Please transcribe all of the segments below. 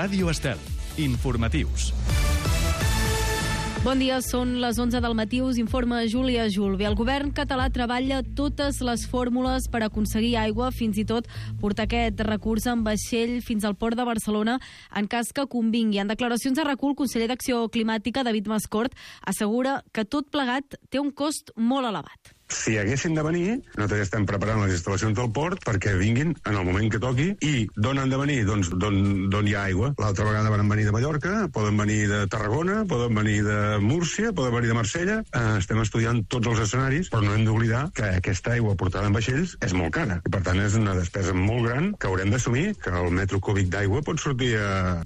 Ràdio Estel. Informatius. Bon dia, són les 11 del matí, us informa Júlia Julve. El govern català treballa totes les fórmules per aconseguir aigua, fins i tot portar aquest recurs en vaixell fins al port de Barcelona en cas que convingui. En declaracions a RAC1, el conseller d'Acció Climàtica, David Mascort, assegura que tot plegat té un cost molt elevat. Si haguessin de venir, nosaltres estem preparant les instal·lacions del port perquè vinguin en el moment que toqui. I d'on han de venir? Doncs d'on hi ha aigua. L'altra vegada van venir de Mallorca, poden venir de Tarragona, poden venir de Múrcia, poden venir de Marsella. Estem estudiant tots els escenaris, però no hem d'oblidar que aquesta aigua portada en vaixells és molt cara. I per tant és una despesa molt gran que haurem d'assumir, que el metro cúbic d'aigua pot sortir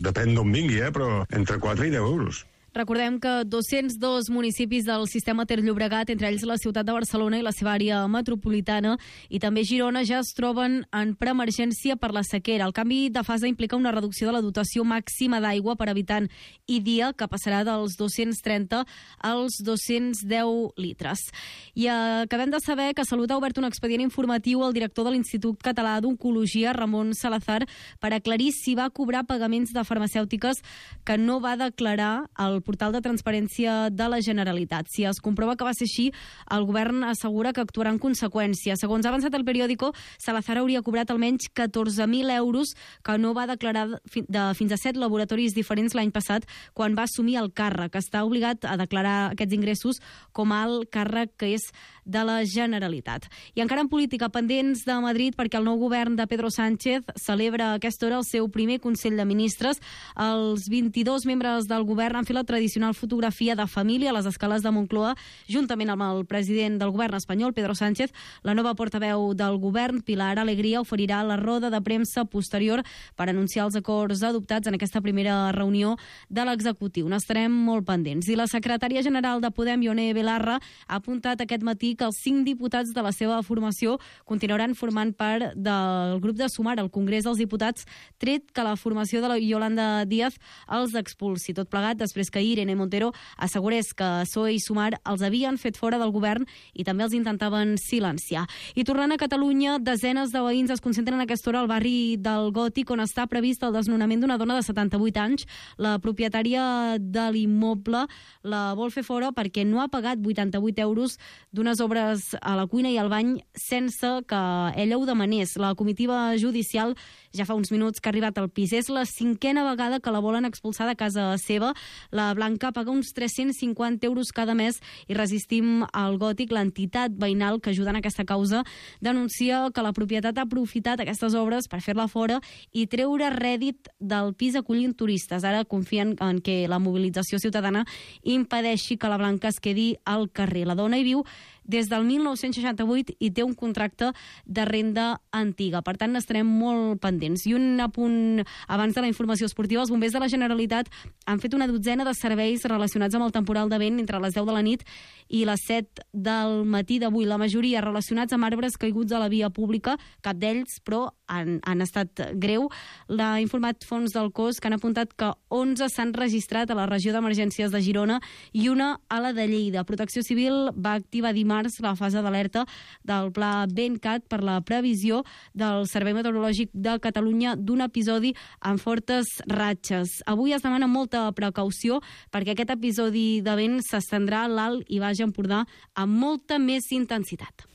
depèn d'on vingui, però entre 4 i 10 euros. Recordem que 202 municipis del sistema Ter Llobregat, entre ells la ciutat de Barcelona i la seva àrea metropolitana, i també Girona, ja es troben en preemergència per la sequera. El canvi de fase implica una reducció de la dotació màxima d'aigua per habitant i dia, que passarà dels 230 als 210 litres. I acabem de saber que Salut ha obert un expedient informatiu al director de l'Institut Català d'Oncologia, Ramon Salazar, per aclarir si va cobrar pagaments de farmacèutiques que no va declarar al portal de transparència de la Generalitat. Si es comprova que va ser així, el govern assegura que actuarà en conseqüència. Segons ha avançat el periòdico, Salazar hauria cobrat almenys 14.000 euros que no va declarar de fins a 7 laboratoris diferents l'any passat quan va assumir el càrrec. Està obligat a declarar aquests ingressos com a alt càrrec que és de la Generalitat. I encara en política, pendents de Madrid perquè el nou govern de Pedro Sánchez celebra a aquesta hora el seu primer Consell de Ministres. Els 22 membres del govern han fet la tradicional fotografia de família a les escales de Moncloa, juntament amb el president del govern espanyol, Pedro Sánchez. La nova portaveu del govern, Pilar Alegría, oferirà la roda de premsa posterior per anunciar els acords adoptats en aquesta primera reunió de l'executiu. N'estarem molt pendents. I la secretària general de Podem, Ione Belarra, ha apuntat aquest matí que els 5 diputats de la seva formació continuaran formant part del grup de Sumar al Congrés dels Diputats, tret que la formació de la Yolanda Díaz els expulsi. Tot plegat després que Irene Montero assegurés que PSOE i Sumar els havien fet fora del govern i també els intentaven silenciar. I tornant a Catalunya, desenes de veïns es concentren a aquesta hora al barri del Gòtic, on està previst el desnonament d'una dona de 78 anys. La propietària de l'immoble la vol fer fora perquè no ha pagat 88 euros d'unes obres a la cuina i al bany sense que ella ho demanés. La comitiva judicial ja fa uns minuts que ha arribat al pis. És la 5a vegada que la volen expulsar de casa seva. La Blanca paga uns 350 euros cada mes i Resistim al Gòtic, l'entitat veïnal que ajuda en aquesta causa, denuncia que la propietat ha aprofitat aquestes obres per fer-la fora i treure rèdit del pis acollint turistes. Ara confien en que la mobilització ciutadana impedeixi que la Blanca es quedi al carrer. La dona hi viu des del 1968 i té un contracte de renda antiga. Per tant, n'estarem molt pendents. I un apunt abans de la informació esportiva, els bombers de la Generalitat han fet una dotzena de serveis relacionats amb el temporal de vent entre les 10 de la nit i les 7 del matí d'avui. La majoria relacionats amb arbres caiguts a la via pública, cap d'ells, però han estat greu. L'ha informat fons del cos que han apuntat que 11 s'han registrat a la regió d'emergències de Girona i una a la de Lleida. Protecció Civil va activar dimarts la fase d'alerta del pla VentCat per la previsió del Servei Meteorològic de Catalunya d'un episodi amb fortes ratxes. Avui es demana molta precaució perquè aquest episodi de vent s'estendrà a l'Alt i Baix Empordà amb molta més intensitat.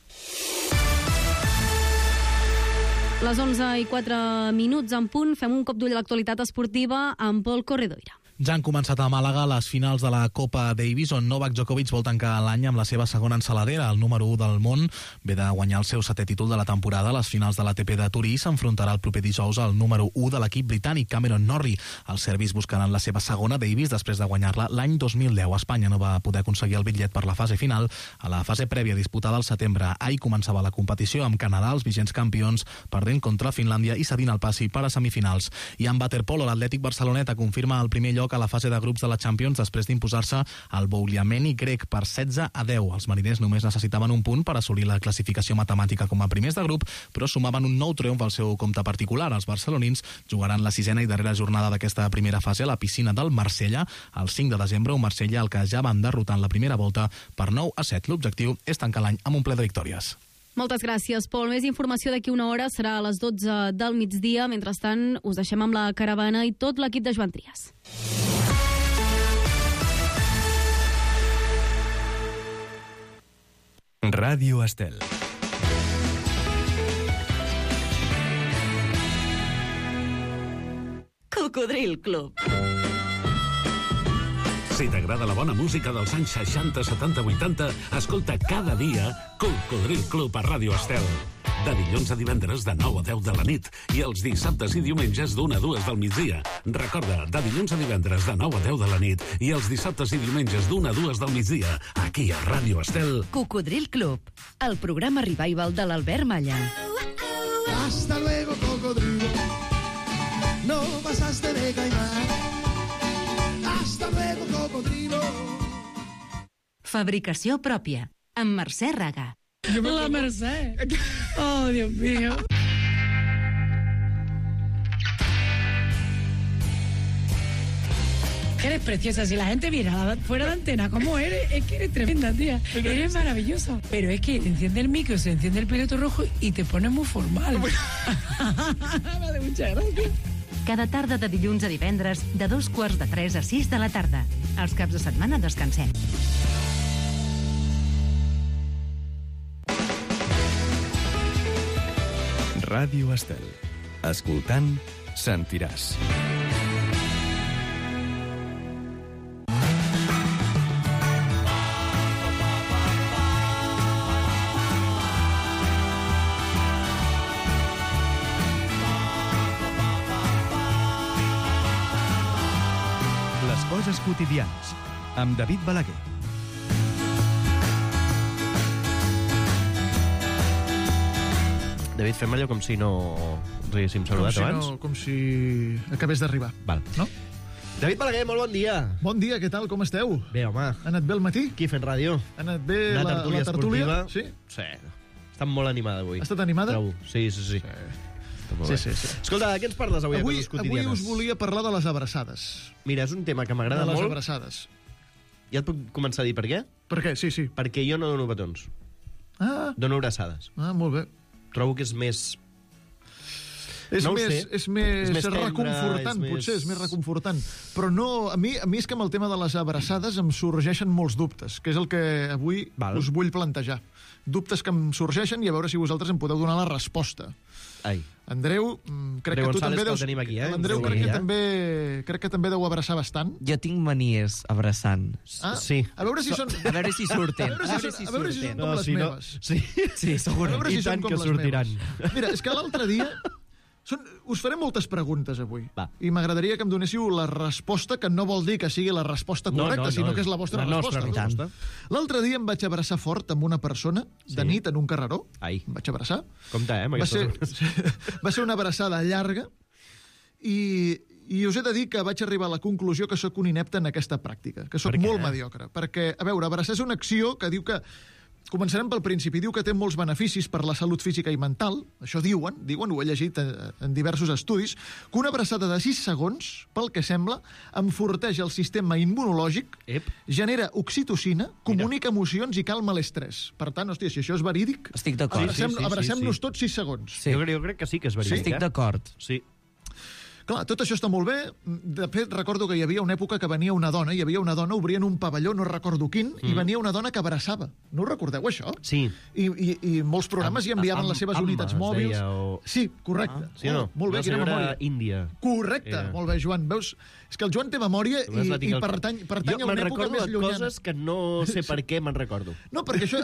Les 11:04 en punt, fem un cop d'ull a l'actualitat esportiva amb Pol Corredoira. Ja han començat a Màlaga les finals de la Copa Davis, on Novak Djokovic vol tancar l'any amb la seva segona ensaladera. El número 1 del món ve de guanyar el seu 7è títol de la temporada a les finals de l'ATP de Turí. S'enfrontarà el proper dijous al número 1 de l'equip britànic, Cameron Norrie. Els serbis buscaran la seva segona Davis després de guanyar-la l'any 2010. Espanya no va poder aconseguir el bitllet per la fase final. A la fase prèvia disputada al setembre, ahir començava la competició amb Canadà, els vigents campions, perdent contra Finlàndia i cedint el passi per a semifinals. I en waterpolo, l'Atlètic Barceloneta confirma el primer lloc a la fase de grups de la Champions després d'imposar-se al Bouliameni grec per 16-10. Els mariners només necessitaven un punt per assolir la classificació matemàtica com a primers de grup, però sumaven un nou triomf al seu compte particular. Els barcelonins jugaran la 6a i darrera jornada d'aquesta primera fase a la piscina del Marsella el 5 de desembre, un Marsella al que ja van derrotar en la primera volta per 9-7. L'objectiu és tancar l'any amb un ple de victòries. Moltes gràcies, Pol. Més informació d'aquí una hora serà a les 12 del migdia. Mentrestant, us deixem amb la caravana i tot l'equip de Joan Trias. Ràdio Estel. Cocodril Club. Si t'agrada la bona música dels anys 60, 70, 80, escolta cada dia Cocodril Club a Ràdio Estel. De dilluns a divendres de 9 a 10 de la nit i els dissabtes i diumenges d'1 a 2 del migdia. Recorda, de dilluns a divendres de 9 a 10 de la nit i els dissabtes i diumenges d'1 a 2 del migdia, aquí a Ràdio Estel. Cocodril Club, el programa revival de l'Albert Malla. Hasta luego, cocodrilo. No pasaste de caimán. Hasta luego, cocodrilo. Fabricació pròpia, amb Mercè Raga. La Mercè. Oh, Dios mío. Eres preciosa. Si la gente viera fuera de antena cómo eres, es que eres tremenda, tía. Eres maravillosa. Pero es que enciende el micro, se enciende el piloto rojo y te pones muy formal. Me hace mucha gracia. Cada tarda de dilluns a divendres, de 2:45 a 6 de la tarda. Els caps de setmana descansem. Ràdio Estel. Escoltant, sentiràs. Les coses quotidianes, amb David Balaguer. David, fem allò com si no ens haguéssim saludat abans. Com si acabés d'arribar. Val. No? David Balaguer, molt bon dia. Bon dia, què tal, com esteu? Bé, home. Ha anat bé el matí? Aquí fent ràdio. Ha anat bé Una la tertúlia tertúlia? esportiva. Sí? Sí. Està molt animada avui. Ha estat animada? Trobo. Sí. Sí. Sí. Escolta, què ens parles avui a Coses Quotidianes? Avui us volia parlar de les abraçades. Mira, és un tema que m'agrada De les molt. abraçades. Ja et puc començar a dir per què? Per què? Sí. Perquè jo no dono petons. Ah, Dono abraçades. molt bé. Trobo que és més... És No ho més, sé. és més És més tendre, reconfortant, és potser, més- és més reconfortant. Però no, a mi és que amb el tema de les abraçades em sorgeixen molts dubtes, que és el que avui Val. us vull plantejar. Dubtes que em sorgeixen i a veure si vosaltres em podeu donar la resposta. Ai. Andreu, crec Andreu que tu González, també que el deus... tenim aquí, L'Andreu Sí. crec que també deu abraçar bastant. Jo tinc manies abraçant. Ah, Sí. A veure si són... A veure si surten. A veure si són com les si no- meves. Sí, Sí, segur. A veure si I són tant com que les sortiran. meves. Mira, és que l'altre dia... Us faré moltes preguntes avui. Va. I m'agradaria que em donéssiu la resposta, que no vol dir que sigui la resposta correcta, sinó que és la vostra nostra resposta. L'altre dia em vaig abraçar fort amb una persona, de nit, en un carreró. Ai. Em vaig abraçar. Compte, amb Va ser, aquestes... va ser una abraçada llarga i us he de dir que vaig arribar a la conclusió que sóc un inepte en aquesta pràctica, que sóc Per què? molt mediocre. Perquè, a veure, abraçar és una acció que diu que... Començarem pel principi. Diu que té molts beneficis per la salut física i mental. Això diuen, ho he llegit en diversos estudis, que una abraçada de 6 segons, pel que sembla, enforteix el sistema immunològic, Ep. genera oxitocina, comunica emocions i calma l'estrès. Per tant, hòstia, si això és verídic, Estic d'acord. abracem-nos tots 6 segons. Sí. Jo crec que sí que és verídic. Estic d'acord. Sí. Clar, tot això està molt bé. De fet, recordo que hi havia una època que venia una dona, obrien un pavelló, no recordo quin, i venia una dona que abraçava. No ho recordeu, això? Sí. I molts programes hi enviaven les seves unitats mòbils. Deia, o... Sí, correcte. Sí o no? Molt bé, Una quina senyora memòria. índia. Correcte, Era. molt bé, Joan. Veus? És que el Joan té memòria i pertany a una època més de llunyana. coses que no sé per què me'n recordo. No, perquè això...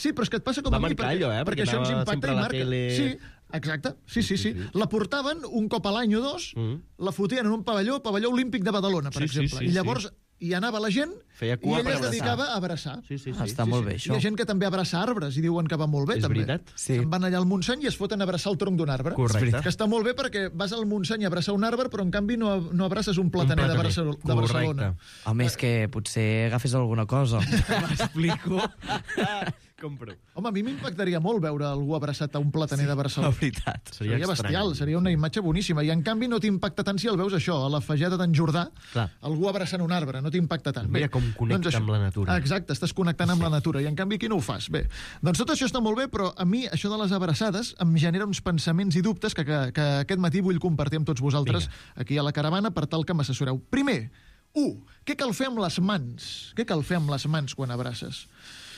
Sí, però és que et passa com Va a mi. marcar allò, perquè això ens anava impacta sempre i a la marca. tele. Sí, exacte. Sí. La portaven un cop a l'any o dos, la fotien en un pavelló olímpic de Badalona, per exemple. I llavors hi anava la gent Feia i cua ella per es abraçar. dedicava a abraçar. Sí. Està molt bé, Hi això. ha gent que també abraça arbres i diuen que va molt bé, És també. veritat? Sí. Se'n van allà al Montseny i es foten a abraçar el tronc d'un arbre. Correcte. Que està molt bé perquè vas al Montseny a abraçar un arbre, però en canvi no abraces un plataner de Barcelona. Home, és que potser agafes alguna cosa. M'explico. compro. Home, a mi m'impactaria molt veure algú abraçat a un plataner de Barcelona. La veritat. Seria bestial, seria una imatge boníssima. I en canvi no t'impacta tant si el veus això, a la Fageda d'en Jordà, Clar. algú abraçant un arbre, no t'impacta tant. Mira com connecta amb la natura. Exacte, estàs connectant amb la natura, i en canvi aquí no ho fas. Bé, doncs tot això està molt bé, però a mi això de les abraçades em genera uns pensaments i dubtes que aquest matí vull compartir amb tots vosaltres aquí a la caravana per tal que m'assessoreu. Primer, què cal fer amb les mans? Què cal fer amb les mans quan abraces?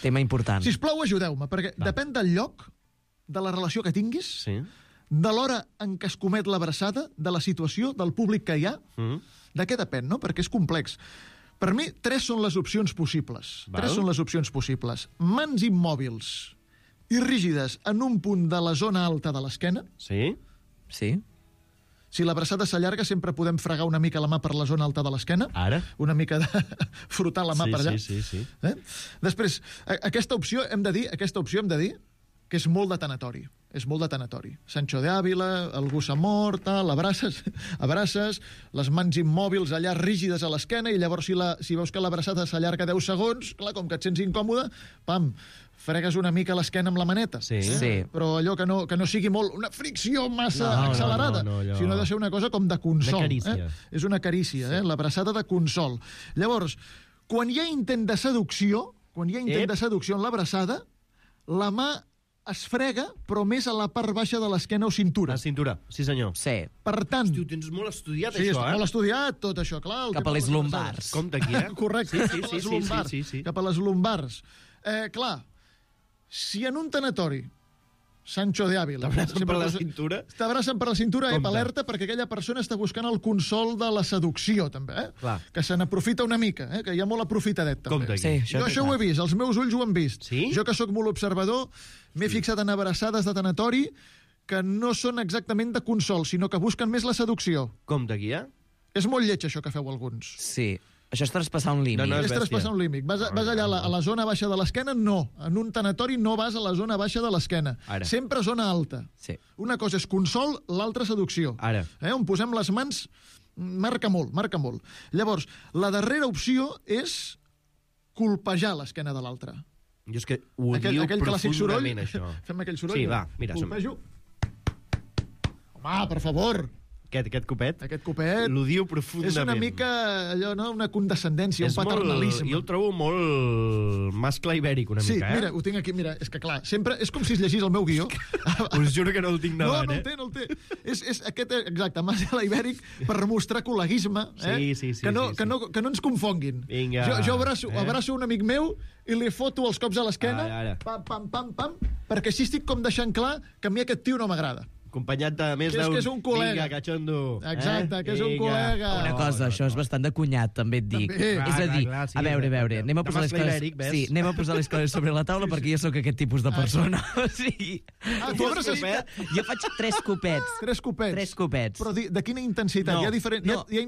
Tema important. Sisplau, ajudeu-me, perquè depèn del lloc, de la relació que tinguis, Sí. de l'hora en què es comet l'abraçada, de la situació, del públic que hi ha, de què depèn, no? Perquè és complex. Per mi, 3 són les opcions possibles. Val. 3 són les opcions possibles. Mans immòbils i rígides en un punt de la zona alta de l'esquena. Sí? Sí. Si l'abraçada s'allarga, sempre podem fregar una mica la mà per la zona alta de l'esquena. Ara? Una mica de frotar la mà Sí, per allà. sí. Després, aquesta opció hem de dir que és molt de tanatori. És molt de tanatori. Sancho de Ávila, algú s'ha mort, l'abraces, abraces, les mans immòbils allà rígides a l'esquena, i llavors si veus que l'abraçada s'allarga 10 segons, clar, com que et sents incòmode, pam, fregues una mica l'esquena amb la maneta. Sí. Però allò que no sigui molt una fricció massa accelerada, no, allò... sinó de ser una cosa com de consol. Una carícia. És una carícia, l'abraçada de consol. Llavors, quan hi ha intent de seducció, en l'abraçada, la mà es frega, però més a la part baixa de l'esquena o cintura. La cintura, sí senyor. Sí. Per tant... Hosti, ho tens molt estudiat, Sí, això, està molt estudiat, tot això, clar. Cap a les lumbars. Compte aquí, Correcte, Sí, cap a les sí, lumbars. sí. Cap a les lumbars. Clar, si en un tanatori Sancho de Ávila T'abracen per la cintura? T'abracen per la cintura, Compte. alerta, perquè aquella persona està buscant el consol de la seducció, també, Clar. que se n'aprofita una mica, que hi ha molt aprofitadet, també. Compte aquí. Sí, Jo això ho he vist, els meus ulls ho han vist. Sí? Jo, que sóc molt observador, m'he fixat en abraçades de tanatori que no són exactament de consol, sinó que busquen més la seducció. Compte aquí, És molt lleig, això que feu alguns. Sí. Això és traspassar un límit. No, És bèstia. traspassar un límit. Vas allà a la zona baixa de l'esquena? No. En un tanatori no vas a la zona baixa de l'esquena. Ara. Sempre zona alta. Sí. Una cosa és consol, l'altra seducció. Ara. On posem les mans marca molt, marca molt. Llavors, la darrera opció és colpejar l'esquena de l'altre. Jo és que odio Aquell clàssic soroll. profundament, això. Fem aquell soroll? Sí, va, mira, som-hi. Colpejo. Home, per favor. Aquest copet? Aquest copet. L'odio profundament. És una mica, allò, no? Una condescendència, un paternalisme. Jo el trobo molt mascle ibèric, una Sí, mica, mira, ho tinc aquí, mira, és que clar, sempre és com si es llegís el meu guió. Us juro que no el tinc davant, no el té. És aquest, exacte, mascle ibèric per mostrar col·leguisme, Sí. que no ens confonguin. Vinga. Jo abraço un amic meu i li foto els cops a l'esquena, Ara. pam, perquè així estic com deixant clar que a mi aquest tio no m'agrada. Acompanyat de més Que és d'un... que és un col·lega. Vinga, cachondo. Exacte, que és un col·lega. Una cosa, això és bastant de cunyat, també et dic. També. És a dir, Clar, sí, a veure, anem a de posar les mascle coses... ibèric, ves? Sí, anem a posar les coses sobre la taula perquè jo sóc aquest tipus de persona. O sigui, Tu abraces jo faig 3 copets. 3 copets. 3 copets. Però de quina intensitat? Hi ha 3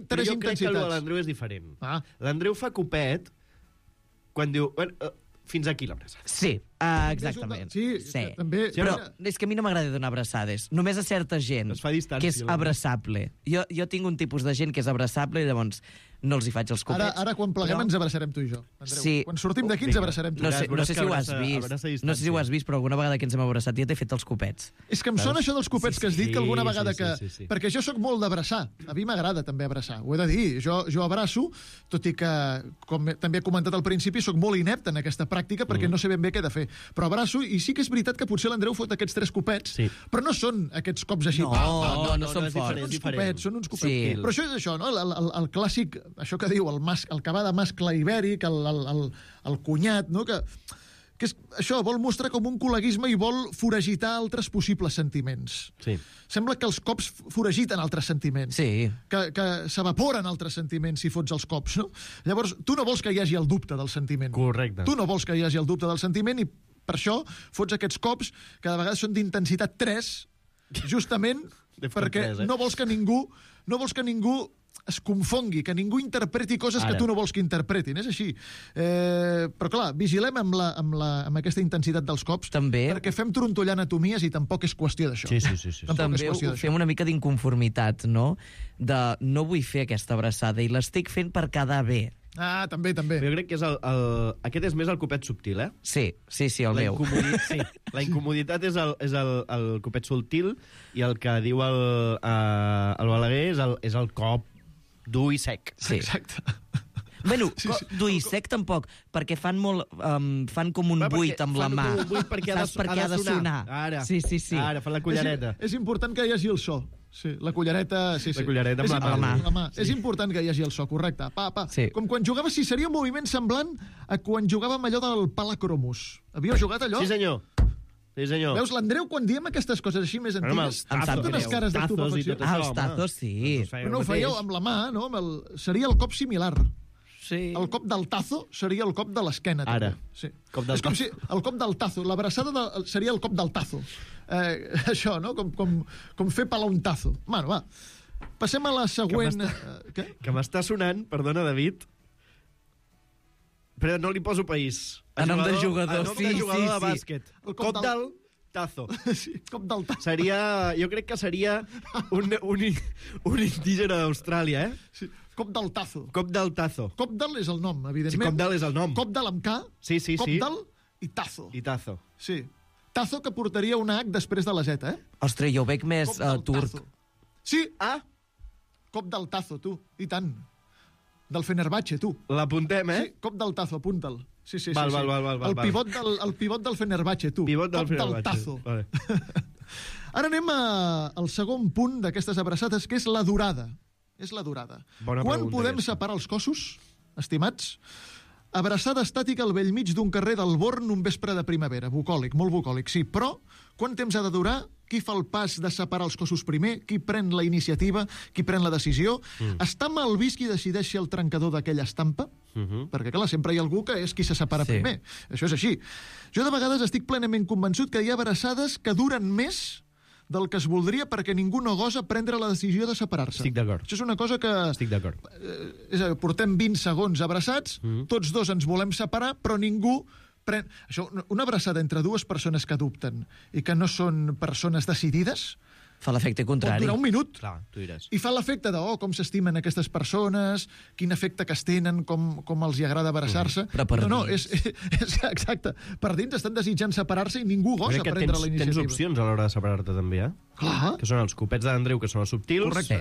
però jo crec que el de intensitats. l'Andreu és diferent. Ah. L'Andreu fa copet quan diu... Bueno, fins aquí l'abraçada. Sí, exactament. Sí, també... Però és que a mi no m'agrada donar abraçades. Només a certa gent Es fa distància, que és abraçable. Jo tinc un tipus de gent que és abraçable i llavors no els hi faig els copets. Ara quan pleguem ens abraçarem tu i jo, Andreu. Sí. Quan sortim d'aquí ens abraçarem tu i No jo. sé, no sé si ho has vist. No sé si ho has vist, però alguna vegada que ens hem abraçat ja t'he fet els copets. És que em sona això dels copets que has dit, que alguna vegada que... sí. Perquè jo sóc molt d'abraçar. A mi m'agrada també abraçar. Ho he de dir. Jo abraço, tot i que, com també he comentat al principi, sóc molt inepte en aquesta pràctica perquè no sé ben bé què he de fer. Però abraço, i sí que és veritat que potser l'Andreu fot aquests 3 copets, però no són aquests cops així. No són forts. Són uns copets. Sí. Però això és això, no? El clàssic, això que diu, el que va de mascle ibèric, el cunyat, no? Que és això, vol mostrar com un col·leguisme i vol foragitar altres possibles sentiments. Sí. Sembla que els cops foragiten altres sentiments. Sí. Que s'evaporen altres sentiments si fots els cops, no? Llavors, tu no vols que hi hagi el dubte del sentiment. Correcte. Tu no vols que hi hagi el dubte del sentiment i per això fots aquests cops que de vegades són d'intensitat 3, justament perquè no vols que ningú es confongui, que ningú interpreti coses que tu no vols que interpretin. És així. Però, clar, vigilem amb aquesta intensitat dels cops, també, perquè fem trontollar anatomies i tampoc és qüestió d'això. Sí. També ho fem una mica d'inconformitat, no? De no vull fer aquesta abraçada i l'estic fent per quedar bé. Ah, també. Jo crec que és aquest és més el copet subtil, eh? Sí, el meu. Sí, la incomoditat és el copet subtil i el que diu el Balaguer és el cop dur i sec. Sí. Exacte. Bueno, dur i sec tampoc, perquè fan com un buit amb la mà. Fan un buit perquè ha de sonar. Ara, sí. Ara, fan la cullereta. És important que hi hagi el so. Sí, la cullereta... Sí. La cullereta amb la mà. Sí. És important que hi hagi el so, correcte. Pa. Sí. Com quan jugaves, seria un moviment semblant a quan jugàvem allò del palacromus. Havíeu jugat allò? Sí, senyor. Veus, l'Andreu, quan diem aquestes coses així més antigues, amb unes cares d'estupefacció. Els tazos, sí. Però no ho fèieu amb la mà, no? Seria el cop similar. Sí. El cop del tazo seria el cop de l'esquena. Ara. Sí. És com si el cop del tazo, l'abraçada seria el cop del tazo. Això, no? Com fer pelar un tazo. Bueno, va. Passem a la següent... Que m'està sonant, perdona, David, però no li poso país. A nom de jugador, a nom de jugador de bàsquet. El cop del tazo. Sí, cop del tazo. Jo crec que seria un indígena d'Austràlia, eh? Sí. Cop del tazo. Cop del tazo. Cop del és el nom, evidentment. Sí, cop del és el nom. Cop del amb K. Sí. Cop del i tazo. I tazo. Sí. Tazo que portaria una H després de la Z, eh? Ostres, jo ho veig més turc. Tazo. Sí, cop del tazo, tu. I tant. Del Fenerbahce, tu. L'apuntem, eh? Sí, cop del tazo, apunta'l. Sí. Val. El pivot del Fenerbahce, tu. Pivot del Fenerbahce. Cop del tazo. Vale. Ara anem al segon punt d'aquestes abraçades, que és la durada. És la durada. Quan podem separar els cossos, estimats? Abraçada estàtica al bell mig d'un carrer del Born un vespre de primavera. Bucòlic, molt bucòlic, sí. Però, quant temps ha de durar? Qui fa el pas de separar els cossos primer? Qui pren la iniciativa? Qui pren la decisió? Està mal vist qui decideix ser el trencador d'aquella estampa? Perquè, clar, sempre hi ha algú que és qui se separa primer. Això és així. Jo de vegades estic plenament convençut que hi ha abraçades que duren més del que es voldria perquè ningú no gosa prendre la decisió de separar-se. Estic d'acord. Això és una cosa que... Estic d'acord. Portem 20 segons abraçats, tots dos ens volem separar, però ningú pren... Això, una abraçada entre dues persones que dubten i que no són persones decidides... Fa l'efecte contrari. Pot durar un minut. Clar, tu diràs. I fa l'efecte de, com s'estimen aquestes persones, quin efecte que es tenen, com els hi agrada abraçar-se. Però per dins. És exacte. Per dins estan desitjant separar-se i ningú gosa prendre la iniciativa. Tens opcions a l'hora de separar-te, també, eh? Clar. Que són els copets d'Andreu, que són els subtils. Correcte.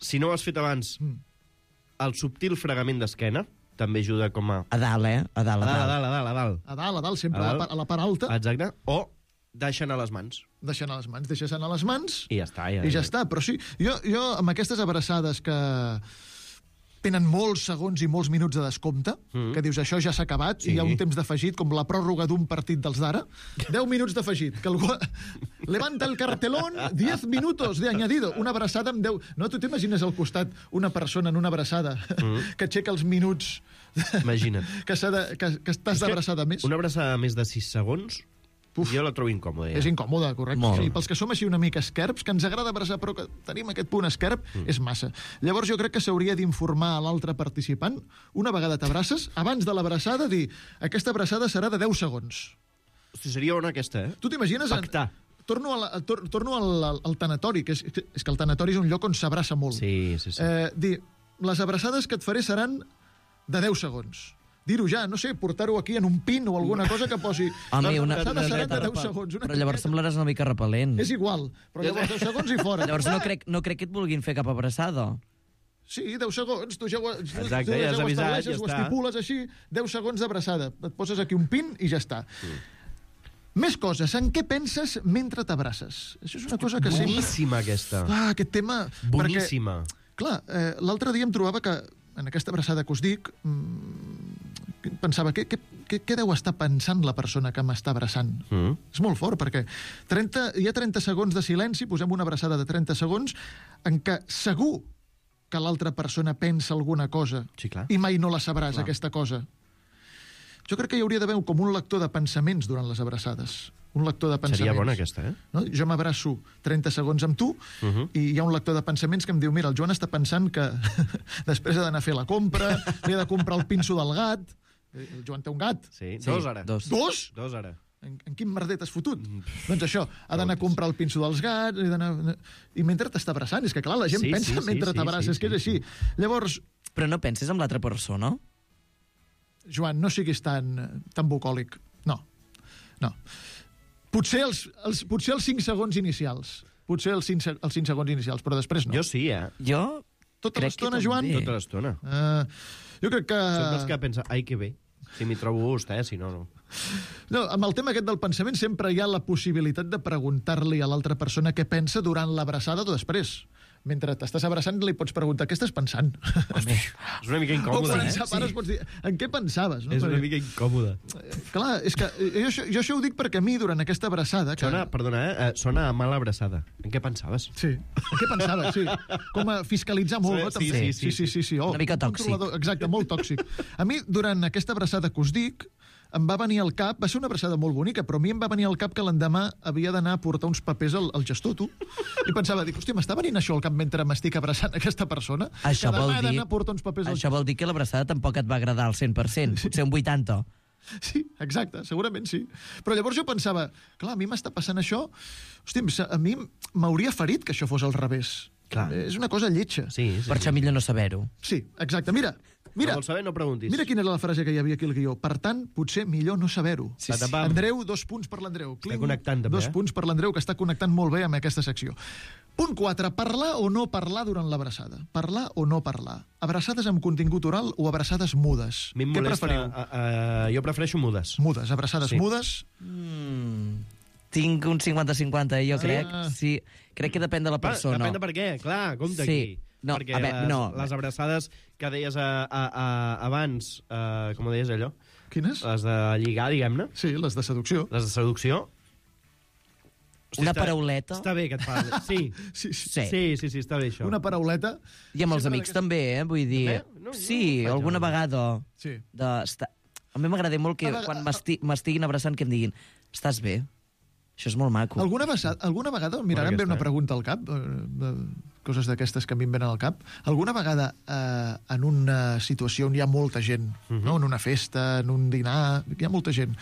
Si no ho has fet abans, el subtil fregament d'esquena també ajuda com a... A dalt, eh? A dalt. A dalt, sempre a la part alta. Exacte. O deixar anar les mans. Deixes anar les mans... I ja està. I ja està. Però sí, jo amb aquestes abraçades que tenen molts segons i molts minuts de descompte, que dius, això ja s'ha acabat, i hi ha un temps d'afegit, com la pròrroga d'un partit dels d'ara, 10 minuts d'afegit, que algú... Levanta el cartelón, 10 minutos de añadido. Una abraçada amb 10... No, tu t'imagines al costat una persona en una abraçada que aixeca els minuts... Imagina't. Que estàs d'abraçada més. Una abraçada més de 6 segons... Jo la trobo incòmoda. És incòmoda, correcte. Sí, pels que som així una mica esquerps, que ens agrada abraçar, però que tenim aquest punt esquerp, és massa. Llavors jo crec que s'hauria d'informar a l'altre participant, una vegada t'abraces, abans de l'abraçada, dir, aquesta abraçada serà de 10 segons. Hosti, seria bona aquesta, eh? Tu t'imagines... Pactar. Torno al tanatori, que és que el tanatori és un lloc on s'abraça molt. Sí. Dir, les abraçades que et faré seran de 10 segons. Dir-ho ja, no sé, portar-ho aquí en un pin o alguna cosa que posi... Home, una serà de 10 segons. Però llavors semblaràs una mica repel·lent. És igual, però llavors 10 segons i fora. Llavors no crec que et vulguin fer cap abraçada. Sí, 10 segons, tu ja ho has avisat, ja ho estipules així, 10 segons d'abraçada. Et poses aquí un pin i ja està. Més coses. En què penses mentre t'abraces? Això és una cosa que boníssima, aquesta. Aquest tema... Boníssima. Clar, l'altre dia em trobava que en aquesta abraçada que us dic, pensava, què deu estar pensant la persona que m'està abraçant? És molt fort, perquè hi ha 30 segons de silenci, posem una abraçada de 30 segons, en què segur que l'altra persona pensa alguna cosa i mai no la sabràs, aquesta cosa. Jo crec que hi hauria d'haver com un lector de pensaments durant les abraçades. Un lector de pensaments. Seria bona aquesta, eh? No? Jo m'abraço 30 segons amb tu i hi ha un lector de pensaments que em diu, mira, el Joan està pensant que després ha d'anar a fer la compra, li ha de comprar el pinso del gat. El Joan té un gat. Sí, 2 ara. 2? 2 ara. En quin merder t'has fotut? Doncs això, ha d'anar a comprar el pinso dels gats, i mentre t'està abraçant, és que clar, la gent pensa mentre t'abraces, que és així. Llavors... Però no penses en l'altra persona? Joan, no siguis tan bucòlic. No. Potser els 5 segons inicials. Potser els 5 segons inicials, però després no. Jo sí, Jo Tota crec que l'estona, també. Joan? Tota l'estona. Jo crec que... Són dels que pensa, ai, que bé. Si m'hi trobo gust, si no, no. No, amb el tema aquest del pensament sempre hi ha la possibilitat de preguntar-li a l'altra persona què pensa durant l'abraçada o després. Mentre t'estàs abraçant li pots preguntar què estàs pensant. Home, És una mica incòmode, O per pares pots dir, en què pensaves? No? És una mica incòmode. Clar, és que jo això ho dic perquè a mi, durant aquesta abraçada... Que... Sona a mala abraçada. En què pensaves? Sí, en què pensaves, sí. Com a fiscalitzar molt, no? També. Sí. Oh, una mica tòxic. Exacte, molt tòxic. A mi, durant aquesta abraçada que us dic, em va venir al cap, va ser una abraçada molt bonica, però a mi em va venir al cap que l'endemà havia d'anar a portar uns papers al gestor, tu. I pensava, hòstia, m'està venint això al cap mentre m'estic abraçant aquesta persona? Això que vol demà he dir... d'anar a portar uns papers Això vol dir que l'abraçada tampoc et va agradar al 100%, potser un 80%. Sí, exacte, segurament sí. Però llavors jo pensava, clar, a mi m'està passant això, hòstia, a mi m'hauria ferit que això fos al revés. Clar. És una cosa lletja. Sí. Per això millor no saber-ho. Sí, exacte. Mira, No vols saber, no preguntis. Mira quina era la frase que hi havia aquí al guió. Per tant, potser millor no saber-ho. Sí. Andreu, 2 punts per l'Andreu. Està connectant, també, 2 punts per l'Andreu, que està connectant molt bé amb aquesta secció. Punt 4. Parlar o no parlar durant l'abraçada. Parlar o no parlar. Abraçades amb contingut oral o abraçades mudes. A mi em Què molesta, preferiu? jo prefereixo mudes. Mudes, abraçades mudes. Tinc un 50-50, jo crec. Sí, crec que depèn de la persona. Depèn de per què, clar, compte aquí. No, perquè a veure, les abraçades que deies abans, com ho deies allò? Quines? Les de lligar, diguem-ne. Sí, les de seducció. Les de seducció. Una parauleta. Està bé que et parli. Sí, està bé això. Una parauleta. I amb els amics també, vull dir... Sí, alguna vegada. Sí. A mi m'agrada molt que quan m'estiguin abraçant que em diguin estàs bé? Això és molt maco. Alguna vegada, mira, ara em ve una pregunta al cap, coses d'aquestes que a mi em venen al cap. Alguna vegada en una situació on hi ha molta gent, no? En una festa, en un dinar, hi ha molta gent,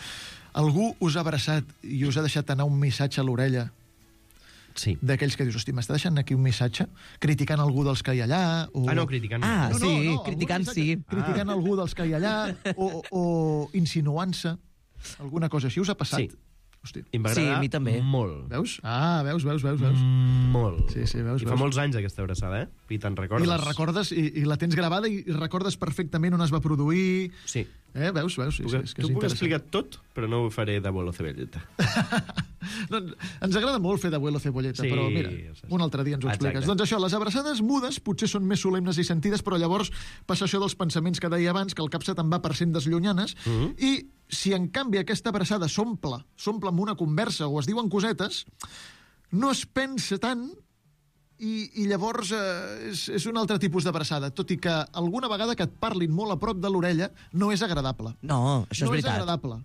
algú us ha abraçat i us ha deixat anar un missatge a l'orella? Sí. D'aquells que dius, hosti, m'està deixant aquí un missatge? Criticant algú dels que hi ha allà? O... no, criticant. Criticant sí. Criticant algú dels que hi ha allà o insinuant-se. Alguna cosa així us ha passat? Sí. Hosti. I m'agrada a mi també. Molt. Veus? Veus. Molt. Sí, veus. I fa molts anys aquesta abraçada, I te'n recordes. I la recordes, i la tens gravada, i recordes perfectament on es va produir. Sí. Veus? T'ho puc explicar tot, però no ho faré d'abuelo cebolleta. No, ens agrada molt fer d'abuelo cebolleta, però mira, un altre dia ens ho expliques. Doncs això, les abraçades mudes potser són més solemnes i sentides, però llavors passa això dels pensaments que deia abans, que el cap se te'n va per sendes llunyanes, i si en canvi aquesta abraçada s'omple amb una conversa o es diuen cosetes, no es pensa tant i llavors és un altre tipus d'abraçada, tot i que alguna vegada que et parlin molt a prop de l'orella no és agradable. No, això és veritat. No és agradable.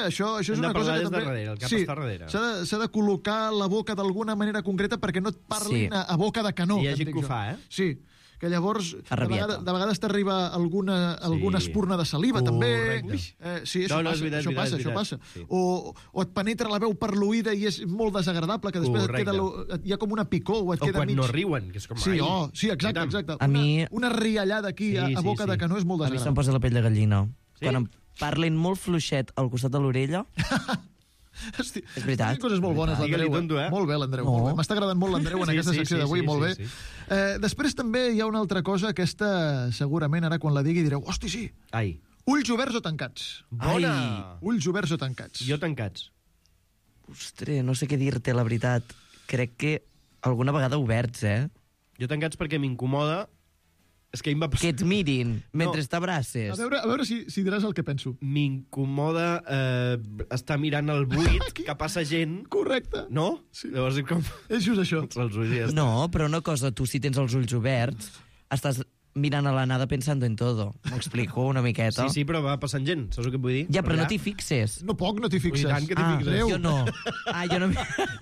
Això és una cosa que també... Darrere, el cap està darrere. S'ha de col·locar la boca d'alguna manera concreta perquè no et parlin a boca de canó. I hi ha gent que ho fa, Sí, que llavors de vegades t'arriba alguna espurna de saliva, també. Sí, això passa. Sí. O et penetra la veu per l'oïda i és molt desagradable, que després hi ha com una picor o et queda mig... O quan no riuen, que és com... Sí, exacte. A mi... Una riallada aquí a boca de canó és molt desagradable. A mi se'm posa la pell de gallina. Quan em parlin molt fluixet al costat de l'orella... Hosti, és veritat. Coses molt bones, l'Andreu. Molt bé, l'Andreu. No. M'està agradant molt l'Andreu en aquesta secció d'avui, molt bé. Després també hi ha una altra cosa, aquesta segurament ara quan la digui direu, hosti, sí. Ai. Ulls oberts o tancats? Bona! Ulls oberts o tancats? Jo tancats. Ostres, no sé què dir-te, la veritat. Crec que alguna vegada oberts, Jo tancats perquè m'incomoda. És que em va passar... Que et mirin mentre t'abraces. A veure si diràs el que penso. M'incomoda estar mirant el buit que passa gent. Correcte. No? Sí. Llavors com... És just això. No, però una cosa, tu si tens els ulls oberts, estàs mirant a la nada pensando en todo. M'explico una miqueta. Sí, però va passant gent, saps el que vull dir? Ja, però no t'hi fixes. No t'hi fixes. I tant que t'hi fixes. Jo no. Jo no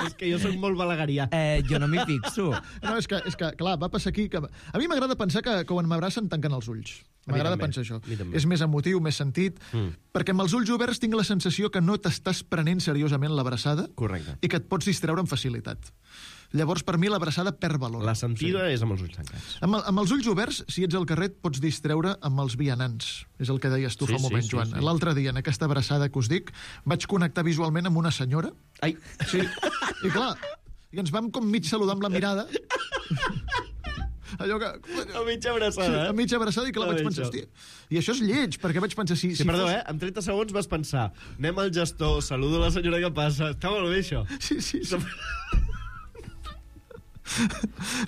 és que jo soc molt balagarià. Jo no m'hi fixo. No, és que, clar, va passar aquí... Que... A mi m'agrada pensar que quan m'abracen tanquen els ulls. M'agrada pensar això. És més emotiu, més sentit, perquè amb els ulls oberts tinc la sensació que no t'estàs prenent seriosament l'abraçada. Correcte. I que et pots distreure amb facilitat. Llavors, per mi, l'abraçada perd valor. La sentida és amb els ulls tancats. Amb els ulls oberts, si ets al carrer, et pots distreure amb els vianants. És el que deies tu fa un moment, Joan. L'altre dia, en aquesta abraçada que us dic, vaig connectar visualment amb una senyora. Ai! Sí, i clar, i ens vam com mig saludar amb la mirada. Allò que... A mitja abraçada, a mitja abraçada, i clar, vaig pensar, hòstia, i això és lleig, perquè vaig pensar... Sí, perdó, en 30 segons vas pensar, anem al gestor, saludo la senyora que passa, està molt bé, això. Sí. Sí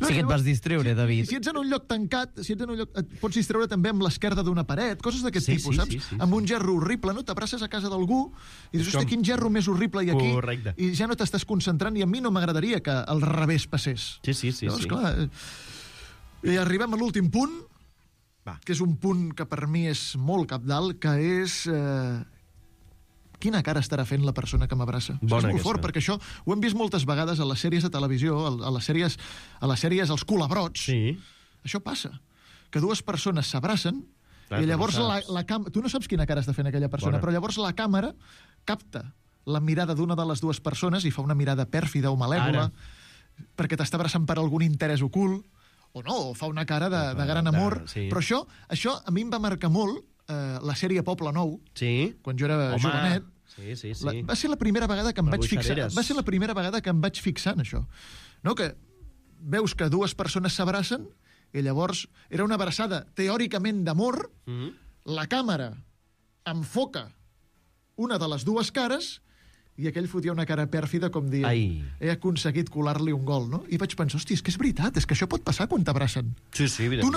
que et vas distreure, David. Si ets en un lloc tancat, et pots distreure també amb l'esquerda d'una paret, coses d'aquest tipus, saps? Sí. Amb un gerro horrible, no? T'abraces a casa d'algú i dius, hòstia, quin gerro més horrible hi ha aquí. Correcte. I ja no t'estàs concentrant, i a mi no m'agradaria que al revés passés. Sí. Llavors, clar, i arribem a l'últim punt, que és un punt que per mi és molt cabdal, que és... quina cara estarà fent la persona que m'abraça. És molt fort, perquè això ho hem vist moltes vegades a les sèries de televisió, a les sèries Els Culebrots. Sí. Això passa, que dues persones s'abracen i llavors la càmera... Tu no saps quina cara està fent aquella persona, però llavors la càmera capta la mirada d'una de les dues persones i fa una mirada pèrfida o malèvola perquè t'està abraçant per algun interès ocult, o no, o fa una cara de gran amor. Però això a mi em va marcar molt la sèrie Poble Nou, quan jo era jovenet. Sí. Va ser la primera vegada que em vaig fixar. Va ser la primera vegada que em vaig fixar en això. No, que veus que dues persones s'abracen i llavors era una abraçada teòricament d'amor, la càmera enfoca una de les dues cares i aquell fotia una cara pèrfida com dient he aconseguit colar-li un gol, no? I vaig pensar, hòstia, és que és veritat, és que això pot passar quan t'abracen. Sí, evidentment.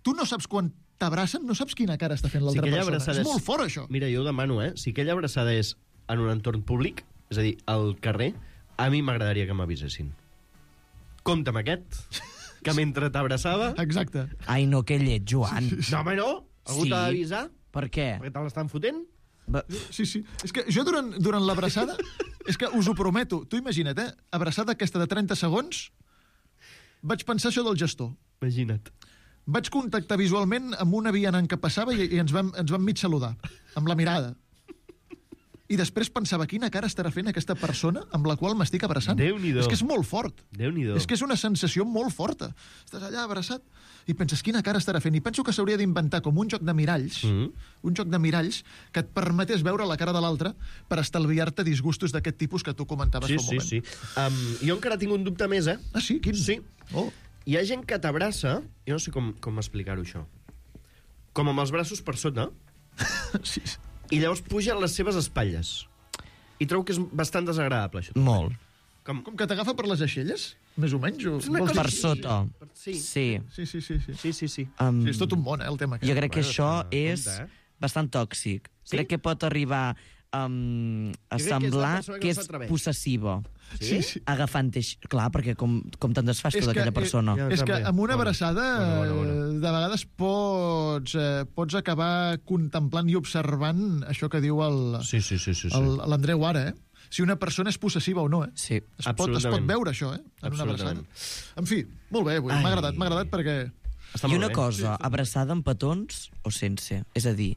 Tu no saps quan t'abracen, no saps quina cara està fent l'altra persona. És molt fort, això. Mira, jo ho demano, si aquella abraçada és en un entorn públic, és a dir, al carrer, a mi m'agradaria que m'avisessin. Compte amb aquest, que mentre t'abraçava... Exacte. Ai, no, que lleig, Joan. No, home, no? Algú t'ha d'avisar? Per què? Perquè te l'estan fotent? Sí. És que jo durant l'abraçada, és que us ho prometo, tu imagina't, abraçada aquesta de 30 segons, vaig pensar això del gestor. Imagina't. Vaig contactar visualment amb una vianant que passava i ens vam mig saludar, amb la mirada. I després pensava, quina cara estarà fent aquesta persona amb la qual m'estic abraçant. Déu-n'hi-do. És que és molt fort. Déu-n'hi-do. És que és una sensació molt forta. Estàs allà abraçat i penses, quina cara estarà fent? I penso que s'hauria d'inventar com un joc de miralls, un joc de miralls que et permetés veure la cara de l'altre per estalviar-te disgustos d'aquest tipus que tu comentaves fa un moment. Sí. Jo encara tinc un dubte més, Ah, sí? Quin? Sí. Oh. Hi ha gent que t'abraça, jo no sé com explicar-ho, això, com amb els braços per sota, Sí. i llavors puja a les seves espatlles. I trobo que és bastant desagradable, això. Molt. Com que t'agafa per les aixelles? Més o menys? Per sota. Sí. Sí. Sí. És tot un món, el tema. Jo crec que això és bastant tòxic. Crec que pot arribar a semblar que és possessiva. Sí? Agafant... Clar, perquè com te'n desfas tu d'aquella persona? És que amb una abraçada de vegades pots acabar contemplant i observant això que diu l'Andreu ara, si una persona és possessiva o no, Sí, es pot veure això, en una abraçada. En fi, molt bé, m'ha agradat perquè... I una cosa, abraçada amb petons o sense? És a dir,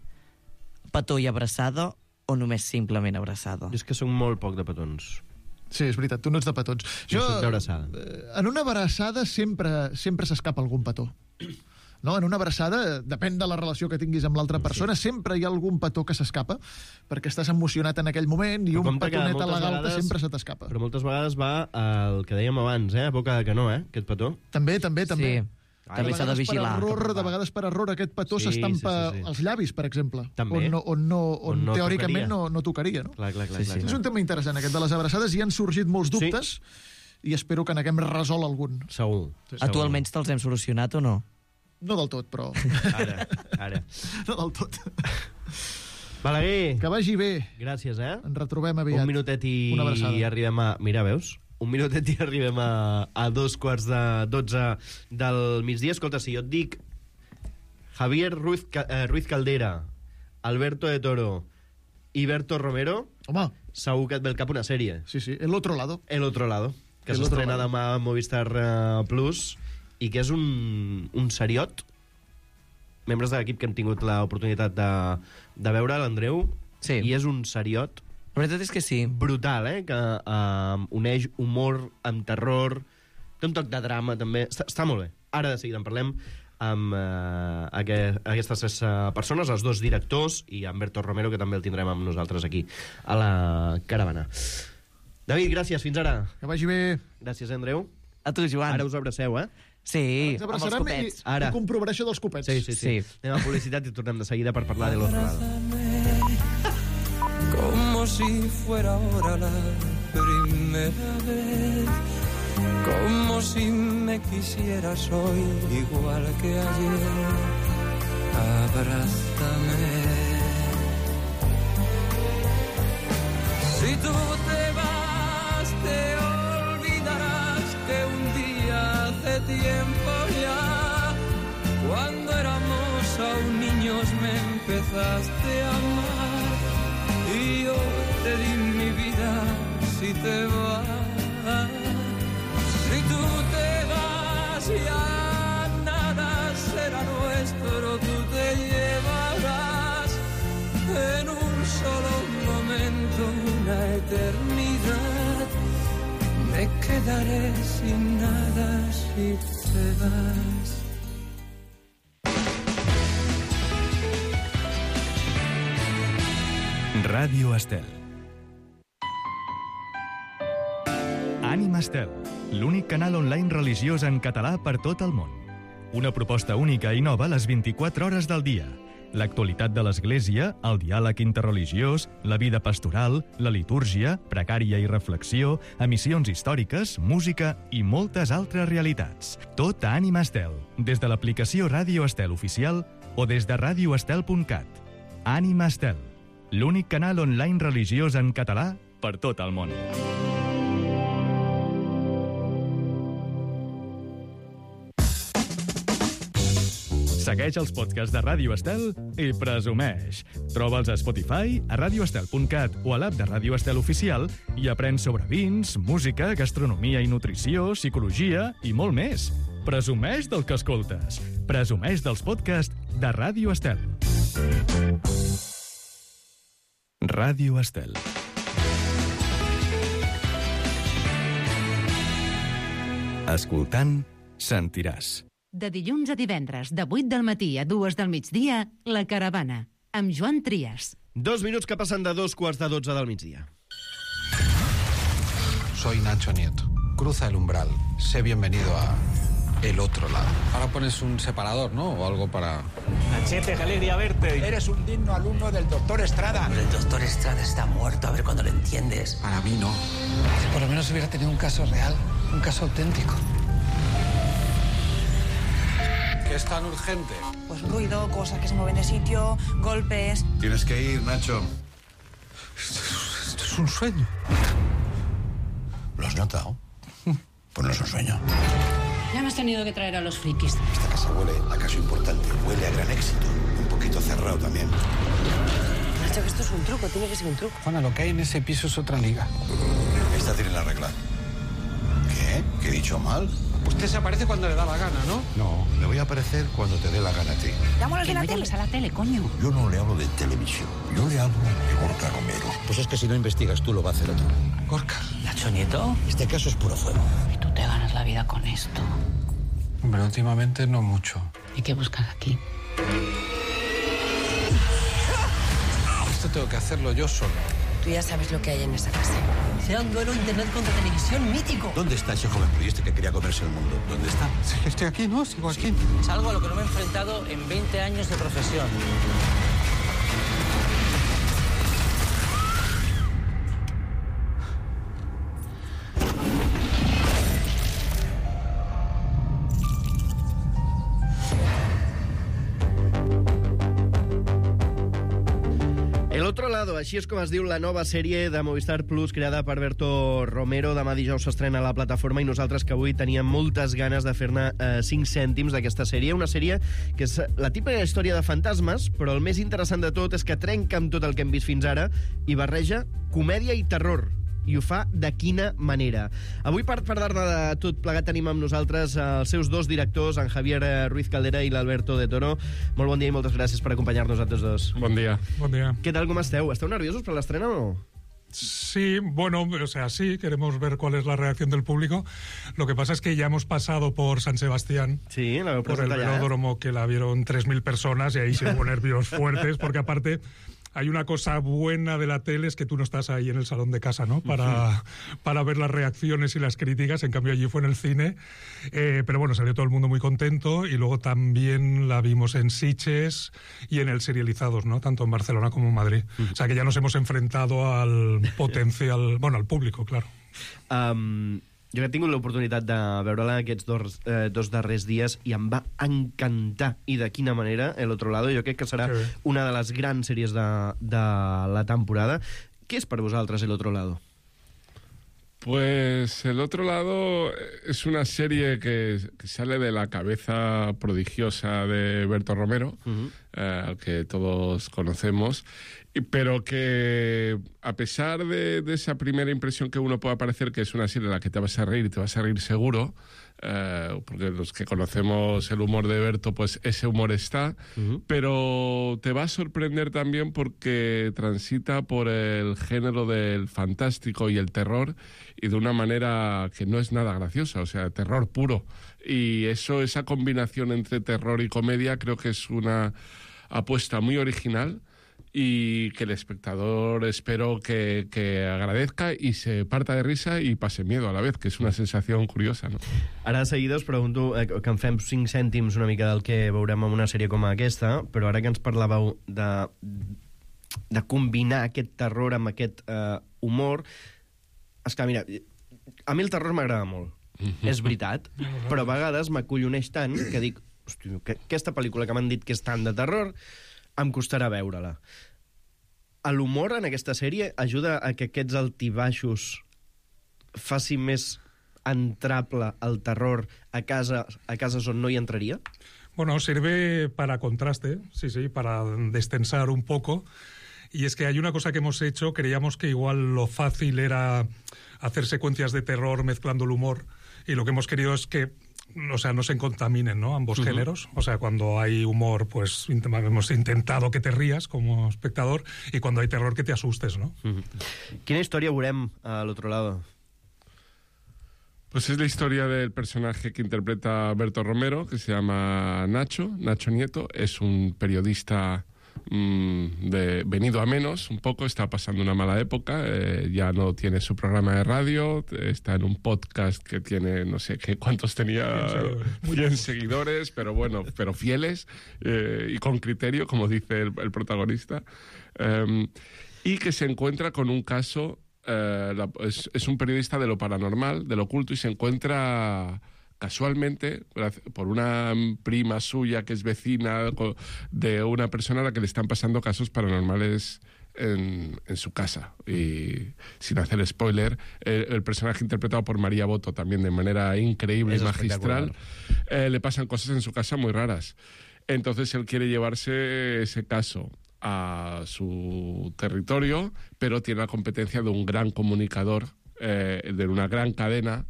petó i abraçada o només simplement abraçada? Jo és que soc molt poc de petons. Sí, és veritat, tu no ets de petons. Jo soc d'abraçada. En una abraçada sempre s'escapa algun petó. No? En una abraçada, depèn de la relació que tinguis amb l'altra persona, sempre hi ha algun petó que s'escapa, perquè estàs emocionat en aquell moment i un petonet a la galta sempre se t'escapa. Però moltes vegades va al que dèiem abans, a boca de canó, aquest petó. També. Sí. També s'ha de vigilar. De vegades per error aquest petó s'estampa als llavis, per exemple. També. On teòricament no tocaria. No? Clar. És un tema interessant, aquest de les abraçades. Hi han sorgit molts dubtes i espero que n'haguem resolt algun. Segur. A tu almenys te'ls hem solucionat o no? No del tot, però... Ara. No del tot. Balaguer. Que vagi bé. Gràcies, Ens retrobem aviat. Un minutet i arribem a... Mira, veus? Un minutet i arribem a 2:45 del migdia. Escolta, si jo et dic Javier Ruiz Caldera, Alberto de Toro i Berto Romero, home, segur que et ve al cap una sèrie. Sí, El Otro Lado. El Otro Lado, que s'estrena demà a Movistar Plus i que és un seriot. Membres de l'equip que hem tingut l'oportunitat de veure, l'Andreu, i és un seriot La veritat és que sí. Brutal, que uneix humor amb terror, té un toc de drama, també. Està molt bé. Ara de seguida en parlem amb aquestes 3 persones, els 2 directors i Humberto Romero, que també el tindrem amb nosaltres aquí, a la caravana. David, gràcies, fins ara. Que vagi bé. Gràcies, Andreu. A tu, Joan. Ara us abraceu, Sí, ens amb els abraçarem copets. i comprovaré això dels copets. Sí. Anem a publicitat i tornem de seguida per parlar de l'altre lado. Como si fuera ahora la primera vez, como si me quisieras hoy igual que ayer. Abrázame. Si tú te vas, te olvidarás que un día hace tiempo ya, cuando éramos aún niños, me empezaste a amar y yo te di mi vida. Si te vas, si tú te vas, ya nada será nuestro. Tú te llevarás en un solo momento una eternidad. Me quedaré sin nada si te vas. Ràdio Estel. Ànima Estel, l'únic canal online religiós en català per tot el món. Una proposta única i nova a les 24 hores del dia. L'actualitat de l'Església, el diàleg interreligiós, la vida pastoral, la litúrgia, pregària i reflexió, emissions històriques, música i moltes altres realitats. Tot a Ànima Estel, des de l'aplicació Ràdio Estel oficial o des de radioestel.cat. Ànima Estel, l'únic canal online religiós en català per tot el món. Segueix els podcasts de Ràdio Estel i presumeix. Troba'ls a Spotify, a radioestel.cat o a l'app de Ràdio Estel oficial i aprèn sobre vins, música, gastronomia i nutrició, psicologia i molt més. Presumeix del que escoltes. Presumeix dels podcasts de Ràdio Estel. Ràdio Estel. Escoltant, sentiràs. De dilluns a divendres, de 8 del matí a 2 del migdia, La Caravana, amb Joan Trias. 2 minuts que passen de 2:15 del migdia. Soy Nacho Nieto. Cruza el umbral. Sé bienvenido a el otro lado. Ahora pones un separador, ¿no? O algo para... Nachete, qué alegría verte. Eres un digno alumno del doctor Estrada. Pero el doctor Estrada está muerto, a ver cuando lo entiendes. Para mí no. Por lo menos hubiera tenido un caso real, un caso auténtico. ¿Qué es tan urgente? Pues ruido, cosas que se mueven de sitio, golpes... Tienes que ir, Nacho. Esto es un sueño. ¿Lo has notado? Pues no es un sueño. Ya me has tenido que traer a los frikis. Esta casa huele a caso importante, huele a gran éxito. Un poquito cerrado también. Nacho, que esto es un truco, tiene que ser un truco. Juana, lo que hay en ese piso es otra liga. Esta tiene la regla. ¿Qué? ¿Qué he dicho mal? Usted se aparece cuando le da la gana, ¿no? No, le voy a aparecer cuando te dé la gana a ti. Llámalos Que de la no tele. llames a la tele, coño. Yo no le hablo de televisión, yo le hablo de Gorka Romero. Pues es que si no investigas tú, lo va a hacer otro. Gorka. Nacho Nieto, este caso es puro fuego. Y tú te ganas la vida con esto. Hombre, últimamente no mucho. ¿Y qué buscas aquí? Esto tengo que hacerlo yo solo. Tú ya sabes lo que hay en esa casa. Será un duelo internet contra televisión mítico. ¿Dónde está ese joven periodista que quería comerse el mundo? ¿Dónde está? Sí, estoy aquí, ¿no? Sigo aquí. Es algo a lo que no me he enfrentado en 20 años de profesión. El otro lado, així és com es diu la nova sèrie de Movistar Plus creada per Berto Romero. Demà dijous s'estrena a la plataforma i nosaltres que avui teníem moltes ganes de fer-ne 5 cèntims d'aquesta sèrie. Una sèrie que és la típica història de fantasmes, però el més interessant de tot és que trenca amb tot el que hem vist fins ara i barreja comèdia i terror. I ho fa de quina manera. Avui, per parlar-ne de tot plegat, tenim amb nosaltres els seus 2 directors, en Javier Ruiz Caldera i l'Alberto de Toro. Molt bon dia i moltes gràcies per acompanyar-nos a tots dos. Bon dia. Bon dia. Què tal, com esteu? Esteu nerviosos per l'estrena o no? Sí, bueno, o sea, sí, queremos ver cuál es la reacción del público. Lo que pasa es que ya hemos pasado por San Sebastián, sí, por el velódromo, que la vieron 3.000 personas, y ahí se hubo nervios fuertes, porque aparte hay una cosa buena de la tele, es que tú no estás ahí en el salón de casa, ¿no? Para ver las reacciones y las críticas. En cambio allí fue en el cine, pero bueno, salió todo el mundo muy contento, y luego también la vimos en Sitges y en el Serializados, ¿no? Tanto en Barcelona como en Madrid. O sea que ya nos hemos enfrentado al potencial, bueno, al público, claro. Jo he tingut l'oportunitat de veure-la aquests dos darrers dies i em va encantar, i de quina manera, El Otro Lado. Jo crec que serà una de les grans sèries de la temporada. Què és per vosaltres El Otro Lado? Pues El Otro Lado es una serie que sale de la cabeza prodigiosa de Berto Romero, al que todos conocemos, pero que a pesar de esa primera impresión que uno pueda parecer que es una serie en la que te vas a reír y te vas a reír seguro, porque los que conocemos el humor de Berto, pues ese humor está, pero te va a sorprender también porque transita por el género del fantástico y el terror, y de una manera que no es nada graciosa, o sea, terror puro. Y esa combinación entre terror y comedia creo que es una apuesta muy original, y que el espectador espero que agradezca i se parta de risa i passe miedo a la vez, que és una sensació curiosa, no? Ara de seguida us pregunto que en fem 5 cèntims una mica del que veurem en una sèrie com aquesta, però ara que ens parlàveu de combinar aquest terror amb aquest humor, esclar, mira, a mi el terror m'agrada molt, és veritat, però a vegades m'acolloneix tant que dic, hòstia, aquesta pel·lícula que m'han dit que és tant de terror em costarà veure-la. L'humor en aquesta sèrie ajuda a que aquests altibaixos faci més entrable el terror a cases on no hi entraria? Bueno, sirve para contraste, sí, para destensar un poco. Y es que hay una cosa que hemos hecho, creíamos que igual lo fácil era hacer secuencias de terror mezclando el humor, y lo que hemos querido es que, o sea, no se contaminen, ¿no?, ambos géneros. O sea, cuando hay humor, pues hemos intentado que te rías como espectador, y cuando hay terror que te asustes, ¿no? Quina història veurem al otro lado? Pues es la historia del personaje que interpreta Berto Romero, que se llama Nacho Nieto. Es un periodista venido a menos, un poco, está pasando una mala época, ya no tiene su programa de radio, está en un podcast que tiene, no sé qué cuántos tenía, 100 seguidores, pero bueno, pero fieles y con criterio, como dice el protagonista, y que se encuentra con un caso, es un periodista de lo paranormal, de lo oculto, y se encuentra casualmente por una prima suya que es vecina de una persona a la que le están pasando casos paranormales en su casa. Y sin hacer spoiler, el personaje interpretado por María Boto, también de manera increíble y magistral, le pasan cosas en su casa muy raras. Entonces él quiere llevarse ese caso a su territorio, pero tiene la competencia de un gran comunicador, de una gran cadena,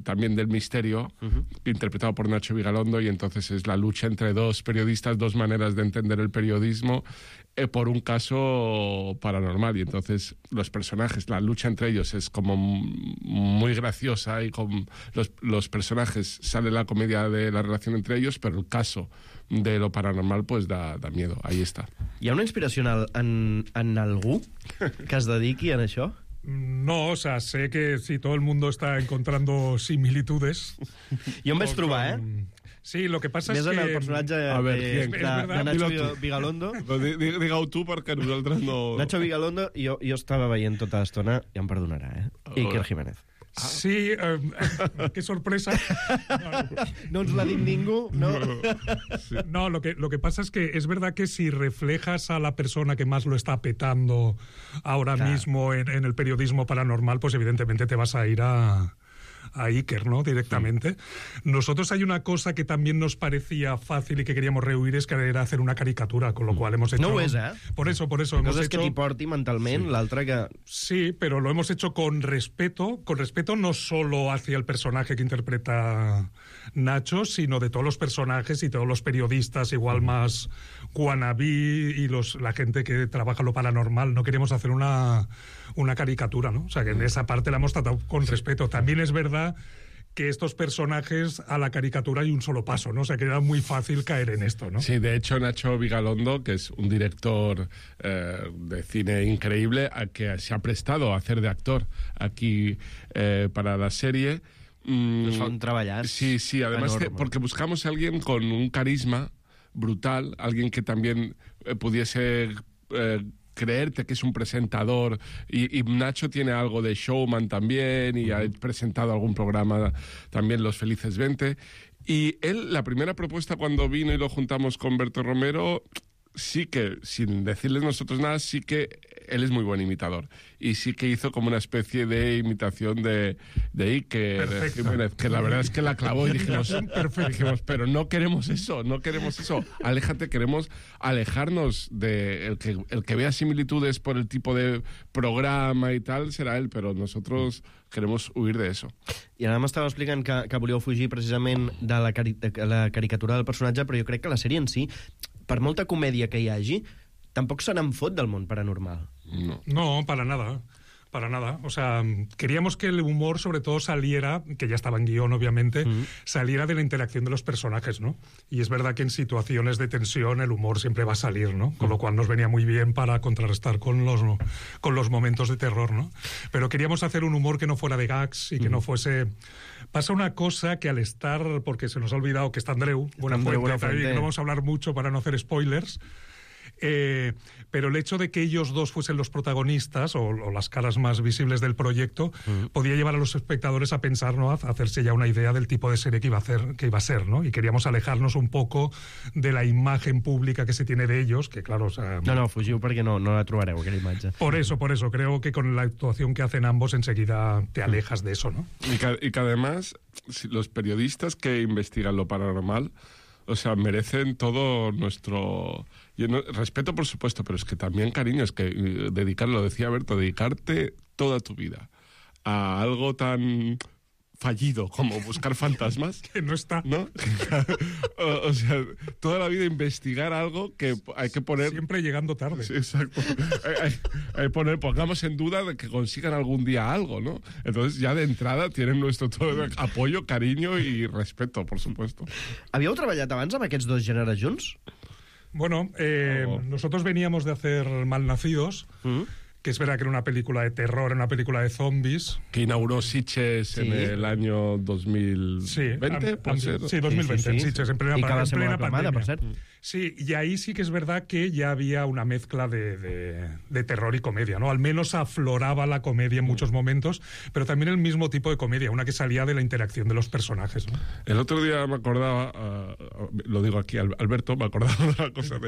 también del misterio, interpretado por Nacho Vigalondo, y entonces es la lucha entre dos periodistas, dos maneras de entender el periodismo, por un caso paranormal. Y entonces los personajes, la lucha entre ellos es como muy graciosa, y con los personajes sale la comedia de la relación entre ellos, pero el caso de lo paranormal pues da miedo. Ahí está. Hi ha una inspiració en algú que es dediqui a això? No, o sea, sé que sí, todo el mundo está encontrando similitudes. Jo em vaig trobar, Sí, lo que pasa es que... que... el personatge de Nacho Vigalondo. Digue-ho tu, perquè nosaltres no... Nacho Vigalondo, jo estava veient tota l'estona, ja em perdonarà, Iker Jiménez. Sí, qué sorpresa. No ens l'ha dit ningú, ¿no? No, lo que pasa es que es verdad que si reflejas a la persona que más lo está petando ahora mismo en el periodismo paranormal, pues evidentemente te vas a ir a Iker, ¿no? Directamente. Nosotros hay una cosa que también nos parecía fácil y que queríamos rehuir, es que era hacer una caricatura, con lo cual hemos hecho... No ho és, Por eso. Coses hemos hecho... que t'hi porti mentalment, l'altra que... Sí, pero lo hemos hecho con respeto no solo hacia el personaje que interpreta Nacho, sino de todos los personajes y todos los periodistas, igual más wannabe y la gente que trabaja lo paranormal. No queríamos hacer una caricatura, ¿no? O sea, que en esa parte la hemos tratado con respeto. También es verdad que estos personajes a la caricatura hay un solo paso, ¿no? O sea, que era muy fácil caer en esto, ¿no? Sí, de hecho, Nacho Vigalondo, que es un director de cine increíble, que se ha prestado a hacer de actor aquí para la serie. Son treballar. Sí, además porque buscamos a alguien con un carisma brutal, alguien que también pudiese... creerte que es un presentador y Nacho tiene algo de showman también y ha presentado algún programa también, Los Felices 20, y él, la primera propuesta cuando vino y lo juntamos con Berto Romero, sí que, sin decirles nosotros nada, sí que él es muy buen imitador y sí que hizo como una especie de imitación de Iker Jiménez, que la verdad es que la clavó y dijimos, pero no queremos eso, aléjate, queremos alejarnos de el que vea similitudes por el tipo de programa y tal, será él, però nosotros queremos huir de eso. I ara m'estava explicant que volíeu fugir precisament de la caricatura del personatge, però jo crec que la sèrie en si, per molta comèdia que hi hagi, tampoc se n'en fot del món paranormal. No, para nada. O sea, queríamos que el humor sobre todo saliera, que ya estaba en guión obviamente, saliera de la interacción de los personajes, ¿no? Y es verdad que en situaciones de tensión el humor siempre va a salir, ¿no? Con lo cual nos venía muy bien para contrarrestar con los momentos de terror, ¿no? Pero queríamos hacer un humor que no fuera de gags y que no fuese... Pasa una cosa que al estar, porque se nos ha olvidado que está Andreu Buenafuente, que no vamos a hablar mucho para no hacer spoilers, pero el hecho de que ellos dos fuesen los protagonistas o las caras más visibles del proyecto podía llevar a los espectadores a pensar, ¿no? A hacerse ya una idea del tipo de serie que iba a ser, ¿no? Y queríamos alejarnos un poco de la imagen pública que se tiene de ellos, que claro, o sea... No, fugiu perquè no la trobareu, aquella imatge. Por eso, creo que con la actuación que hacen ambos enseguida te alejas de eso, ¿no? Y que además, los periodistas que investigan lo paranormal, o sea, merecen todo nuestro... respeto, por supuesto, pero es que también, cariño, es que lo decía Berto, dedicarte toda tu vida a algo tan fallido como buscar fantasmas. Que no está. ¿No? O sea, toda la vida investigar algo que hay que poner... Siempre llegando tarde. Sí, exacto. Hay pongamos en duda de que consigan algún día algo, ¿no? Entonces, ya de entrada tienen nuestro todo apoyo, cariño y respeto, por supuesto. Havíeu treballat abans amb aquests dos gèneres junts? Bueno, nosotros veníamos de hacer Malnacidos, que es verdad que era una película de terror, una película de zombies. Que inauguró Sitges en el año 2020, ¿puede ser? Sí, 2020, en Sitges, en plena pandemia. Per cert. Sí, y ahí sí que es verdad que ya había una mezcla de terror y comedia, ¿no? Al menos afloraba la comedia en muchos momentos, pero también el mismo tipo de comedia, una que salía de la interacción de los personajes, ¿no? El otro día me acordaba, lo digo aquí, Alberto, me acordaba de una cosa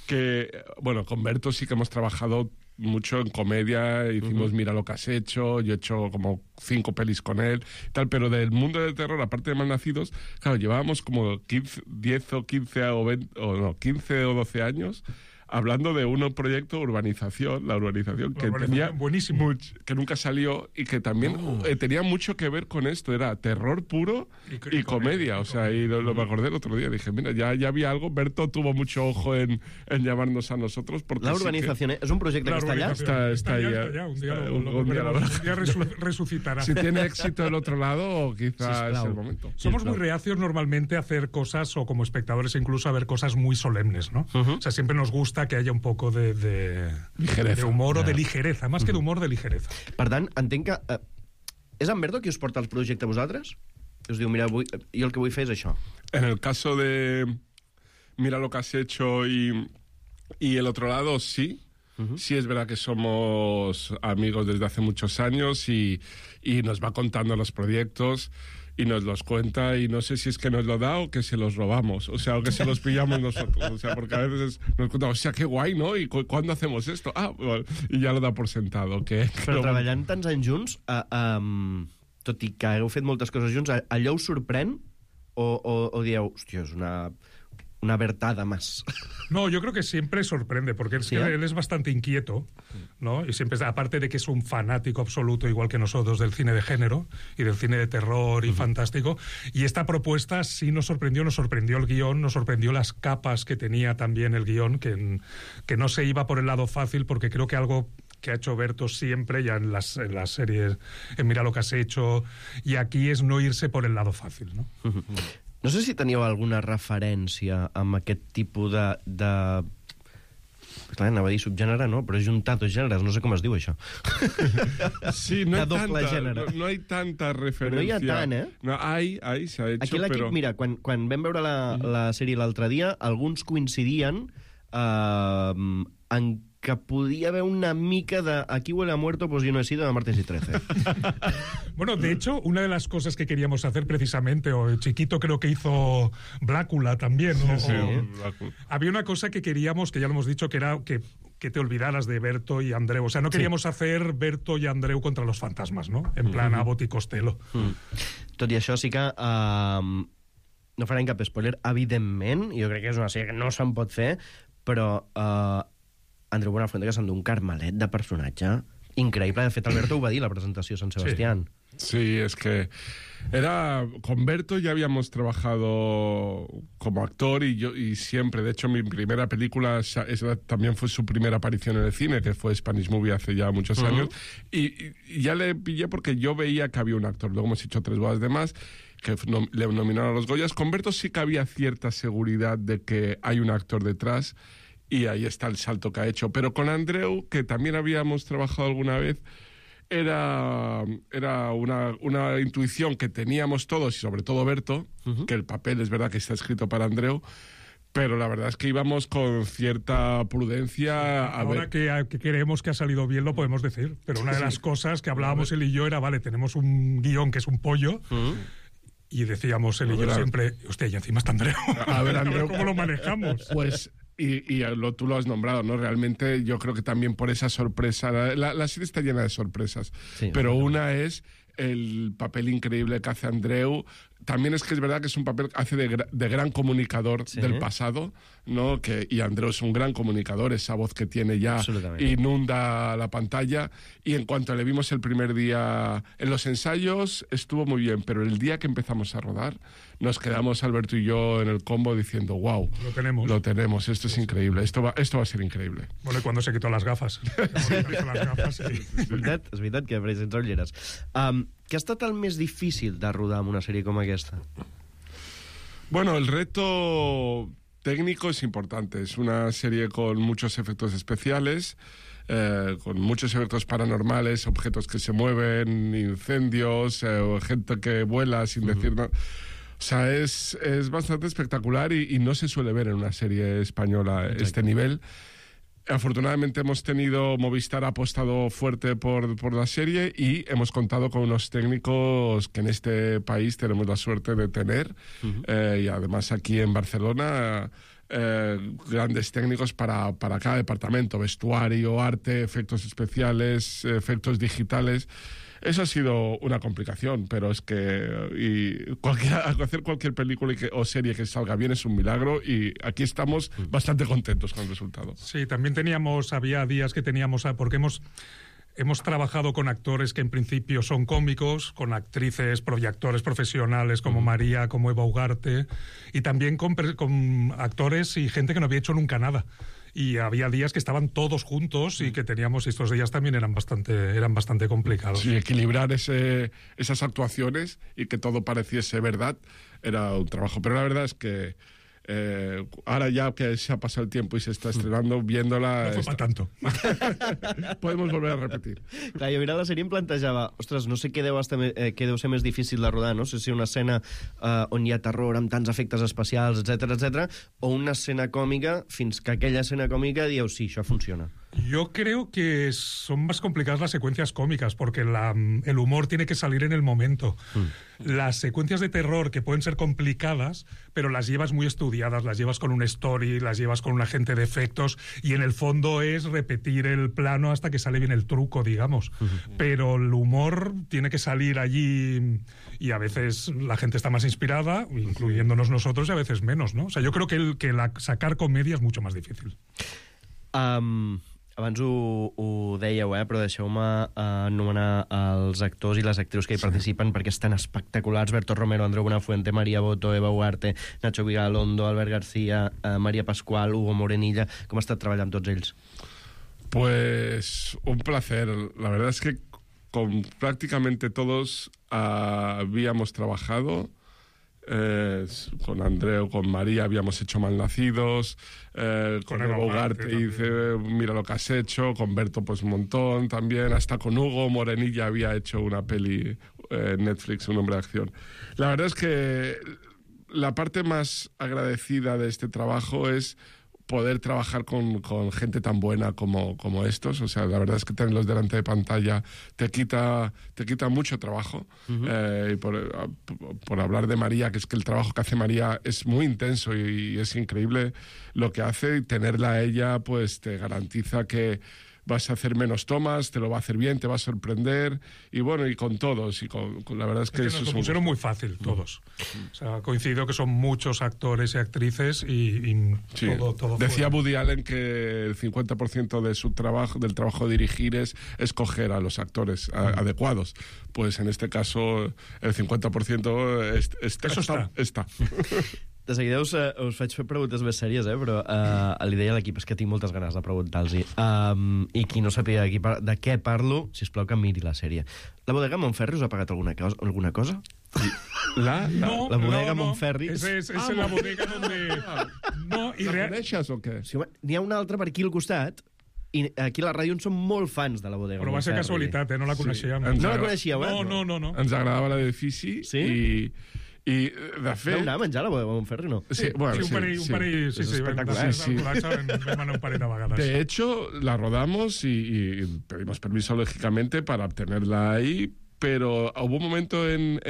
que, bueno, con Berto sí que hemos trabajado mucho en comedia, hicimos Mira lo que has hecho, yo he hecho como 5 pelis con él, tal, pero del mundo del terror, aparte de Malnacidos, claro, llevábamos como 15 o 12 años hablando de un proyecto la urbanización que tenía buenísimo, que nunca salió y que también tenía mucho que ver con esto, era terror puro y comedia, o sea, y lo me acordé el otro día, dije, mira, ya había algo, Berto tuvo mucho ojo en llamarnos a nosotros, porque la urbanización es un proyecto que está allá. Está allá, un día resucitará. Si tiene éxito del otro lado, quizás es el momento. Somos muy reacios normalmente a hacer cosas, o como espectadores incluso a ver cosas muy solemnes, ¿no? O sea, siempre nos gusta que haya un poco de humor o de ligereza, más que de humor, de ligereza. Per tant, entenc que és en Berto qui us porta el projecte a vosaltres? Us diu, mira, jo el que vull fer és això. En el caso de Mira lo que has hecho y el otro lado, sí. Sí, es verdad que somos amigos desde hace muchos años y nos va contando los proyectos y nos los cuenta, y no sé si es que nos lo da o que se los robamos, o sea, o que se los pillamos nosotros, o sea, porque a veces nos cuenta, o sea, qué guay, ¿no? ¿Y cuándo hacemos esto? Ah, bueno, y ya lo da por sentado. Però treballant tants anys junts, tot i que hagueu fet moltes coses junts, allò us sorprèn o dieu, hòstia, és una vertada más? No, yo creo que siempre sorprende, porque es que él es bastante inquieto, ¿no? Y siempre, aparte de que es un fanático absoluto, igual que nosotros, del cine de género y del cine de terror y fantástico. Y esta propuesta sí nos sorprendió el guión, nos sorprendió las capas que tenía también el guión, que no se iba por el lado fácil, porque creo que algo que ha hecho Berto siempre, ya en las series, en Mira lo que has hecho, y aquí es no irse por el lado fácil, ¿no? No sé si teníeu alguna referència amb aquest tipus de... Clar, anava a dir subgènere, no? Però juntar dos gèneres, no sé com es diu això. Sí, no hay tanta referència. No hi ha tant, eh? No, se ha hecho, aquí l'equip, però... mira, quan vam veure la sèrie l'altre dia, alguns coincidien en que podía haber una mica de aquí huele a muerto, pues yo no he sido de martes y 13. Bueno, de hecho, una de las cosas que queríamos hacer precisamente, o Chiquito creo que hizo Blácula también, ¿no? Sí, había una cosa que queríamos, que ya lo hemos dicho, que era que te olvidaras de Berto y Andreu. O sea, no queríamos hacer Berto y Andreu contra los fantasmas, ¿no? En plan Abbott i Costello. Tot i això sí que no farem cap spoiler, evidentment, jo crec que és una sèrie que no se'n pot fer, però Andreu Buenafuente, que s'endú un carmelet de personatge increïble. De fet, Alberto ho va dir a la presentació de Sant Sebastián. Sí, es que con Berto ya habíamos trabajado como actor y siempre, de hecho mi primera película también fue su primera aparición en el cine, que fue Spanish Movie hace ya muchos años, y ya le pillé porque yo veía que había un actor. Luego hemos hecho 3 bodas de más, que le nominaron a los Goyas. Con Berto sí que había cierta seguridad de que hay un actor detrás, y ahí está el salto que ha hecho. Pero con Andreu, que también habíamos trabajado alguna vez, era una intuición que teníamos todos, y sobre todo Berto, que el papel es verdad que está escrito para Andreu, pero la verdad es que íbamos con cierta prudencia. Ahora que creemos que ha salido bien lo podemos decir, pero una de las cosas que hablábamos él y yo era, vale, tenemos un guión que es un pollo, y decíamos él y yo siempre, hostia, y encima está Andreu. A ver, Andreu, ¿cómo lo manejamos? Pues... Y tú lo has nombrado, ¿no? Realmente yo creo que también por esa sorpresa... La serie está llena de sorpresas, pero una es el papel increíble que hace Andreu. También es que es verdad que es un papel que hace de gran comunicador del pasado, ¿no? Y Andreu es un gran comunicador, esa voz que tiene ya inunda la pantalla. Y en cuanto le vimos el primer día en los ensayos, estuvo muy bien, pero el día que empezamos a rodar, nos quedamos Alberto y yo en el combo diciendo, wow, lo tenemos, esto es increíble, esto va a ser increíble. Bueno, y cuando se quitó las gafas. És veritat que apareixen ulleres. Què ha estat el més difícil de rodar amb una sèrie com aquesta? Bueno, el reto técnico es importante. Es una serie con muchos efectos especiales, con muchos efectos paranormales, objetos que se mueven, incendios, gente que vuela sin decir nada. O sea, es bastante espectacular y no se suele ver en una serie española este nivel. Afortunadamente Movistar ha apostado fuerte por la serie y hemos contado con unos técnicos que en este país tenemos la suerte de tener, y además aquí en Barcelona grandes técnicos para cada departamento: vestuario, arte, efectos especiales, efectos digitales. Eso ha sido una complicación, pero es que hacer cualquier película o serie que salga bien es un milagro, y aquí estamos bastante contentos con el resultado. Sí, también había días que teníamos, porque hemos trabajado con actores que en principio son cómicos, con actrices y actores profesionales como María, como Eva Ugarte, y también con actores y gente que no había hecho nunca nada. Y había días que estaban todos juntos y que teníamos, estos días también eran bastante complicados. Sí, equilibrar esas actuaciones y que todo pareciese verdad era un trabajo. Pero la verdad es que ahora ya que se ha pasado el tiempo y se está estrenando, viéndola... No fue para tanto. Podemos volver a repetir. Clar, jo mirant la sèrie em plantejava, ostres, no sé què deu ser més difícil de rodar, no sé si una escena on hi ha terror amb tants efectes especials, etc, o una escena còmica, fins que aquella escena còmica dieu, sí, això funciona. Yo creo que son más complicadas las secuencias cómicas, porque el humor tiene que salir en el momento. Las secuencias de terror, que pueden ser complicadas, pero las llevas muy estudiadas, las llevas con un story, las llevas con un agente de efectos, y en el fondo es repetir el plano hasta que sale bien el truco, digamos. Pero el humor tiene que salir allí, y a veces la gente está más inspirada, incluyéndonos nosotros, y a veces menos, ¿no? O sea, yo creo que sacar comedia es mucho más difícil. Abans ho dèieu, però deixeu-me anomenar els actors i les actrius que hi participen, perquè estan espectaculars. Berto Romero, Andreu Buenafuente, Maria Boto, Eva Huarte, Nacho Vigalondo, Albert García, María Pascual, Hugo Morenilla. Com ha estat treballar amb tots ells? Pues un placer. La verdad es que con prácticamente todos habíamos trabajado. Con Andreu, con María habíamos hecho Malnacidos, con Eva Ugarte hice Mira lo que has hecho, con Berto pues un montón también, hasta con Hugo Morenilla había hecho una peli Netflix, Un hombre de acción. La verdad es que la parte más agradecida de este trabajo es poder trabajar con gente tan buena como estos. O sea, la verdad es que tenerlos delante de pantalla te quita mucho trabajo. Y por hablar de María, que es que el trabajo que hace María es muy intenso y es increíble lo que hace, y tenerla a ella pues te garantiza que vas a hacer menos tomas, te lo va a hacer bien, te va a sorprender, y bueno, y con todos, y con la verdad es que nos lo pusieron muy fácil, todos. O sea, coincido que son muchos actores y actrices, y sí. todo Decía Woody Allen que el 50% de su trabajo, del trabajo de dirigir, es escoger a los actores adecuados. Pues en este caso, el 50% està. De seguida us faig fer preguntes més sèries, però li deia a l'equip, és que tinc moltes ganes de preguntar-los. I qui no sàpiga de què parlo, sisplau que miri la sèrie. La bodega Montferri us ha pagat alguna cosa? La bodega Montferri. Es la bodega donde... No, ¿la coneixes o què? Sí, n'hi ha una altra per aquí al costat, i aquí a la ràdio en som molt fans de la bodega Montferri. Però va ser casualitat, no la coneixíem. No la coneixíeu, No. Ens agradava l'edifici i de fet... Vau anar a menjar a la bodega Montferri, no? Sí, bueno, un parell, sí, vam un parell de vegades. De hecho, la rodamos y pedimos permiso, lógicamente, para obtenerla ahí, pero hubo un momento en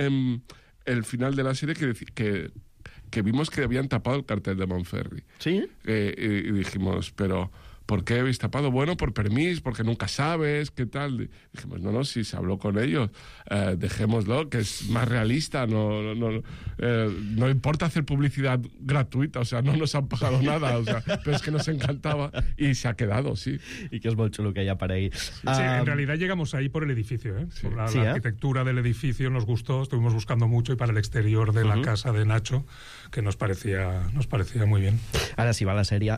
el final de la serie que vimos que habían tapado el cartel de Montferri. ¿Sí? Y dijimos, pero... ¿por qué habéis tapado? Bueno, por permiso, porque nunca sabes, ¿qué tal? Dijimos, no, si se habló con ellos, dejémoslo, que es más realista, no importa hacer publicidad gratuita, o sea, no nos han pagado nada, o sea, pero es que nos encantaba y se ha quedado, sí. Y que es muy chulo que haya para ahí. Sí, en realidad llegamos ahí por el edificio, por la arquitectura del edificio nos gustó, estuvimos buscando mucho, y para el exterior de la casa de Nacho, que nos parecía muy bien. Ara sí va la sèrie.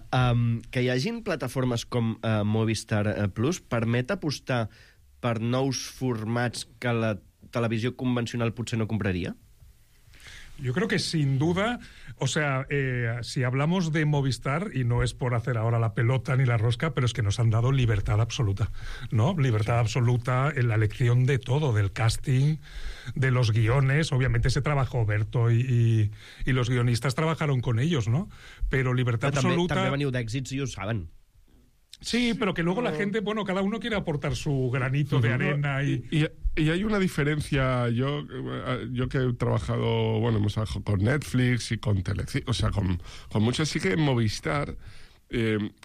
Que hi hagin plataformes com Movistar Plus permet apostar per nous formats que la televisió convencional potser no compraria? Yo creo que sin duda, o sea, si hablamos de Movistar, y no es por hacer ahora la pelota ni la rosca, pero es que nos han dado libertad absoluta, ¿no? Libertad absoluta en la elección de todo, del casting, de los guiones. Obviamente se trabajó Berto y los guionistas trabajaron con ellos, ¿no? Pero libertad absoluta... També veniu d'èxits i ho saben. Sí, pero que luego la gente, bueno, cada uno quiere aportar su granito de arena y hay una diferencia. Yo que he trabajado, bueno, hemos trabajado con Netflix y con Telecinco, o sea, con muchos, sí que en Movistar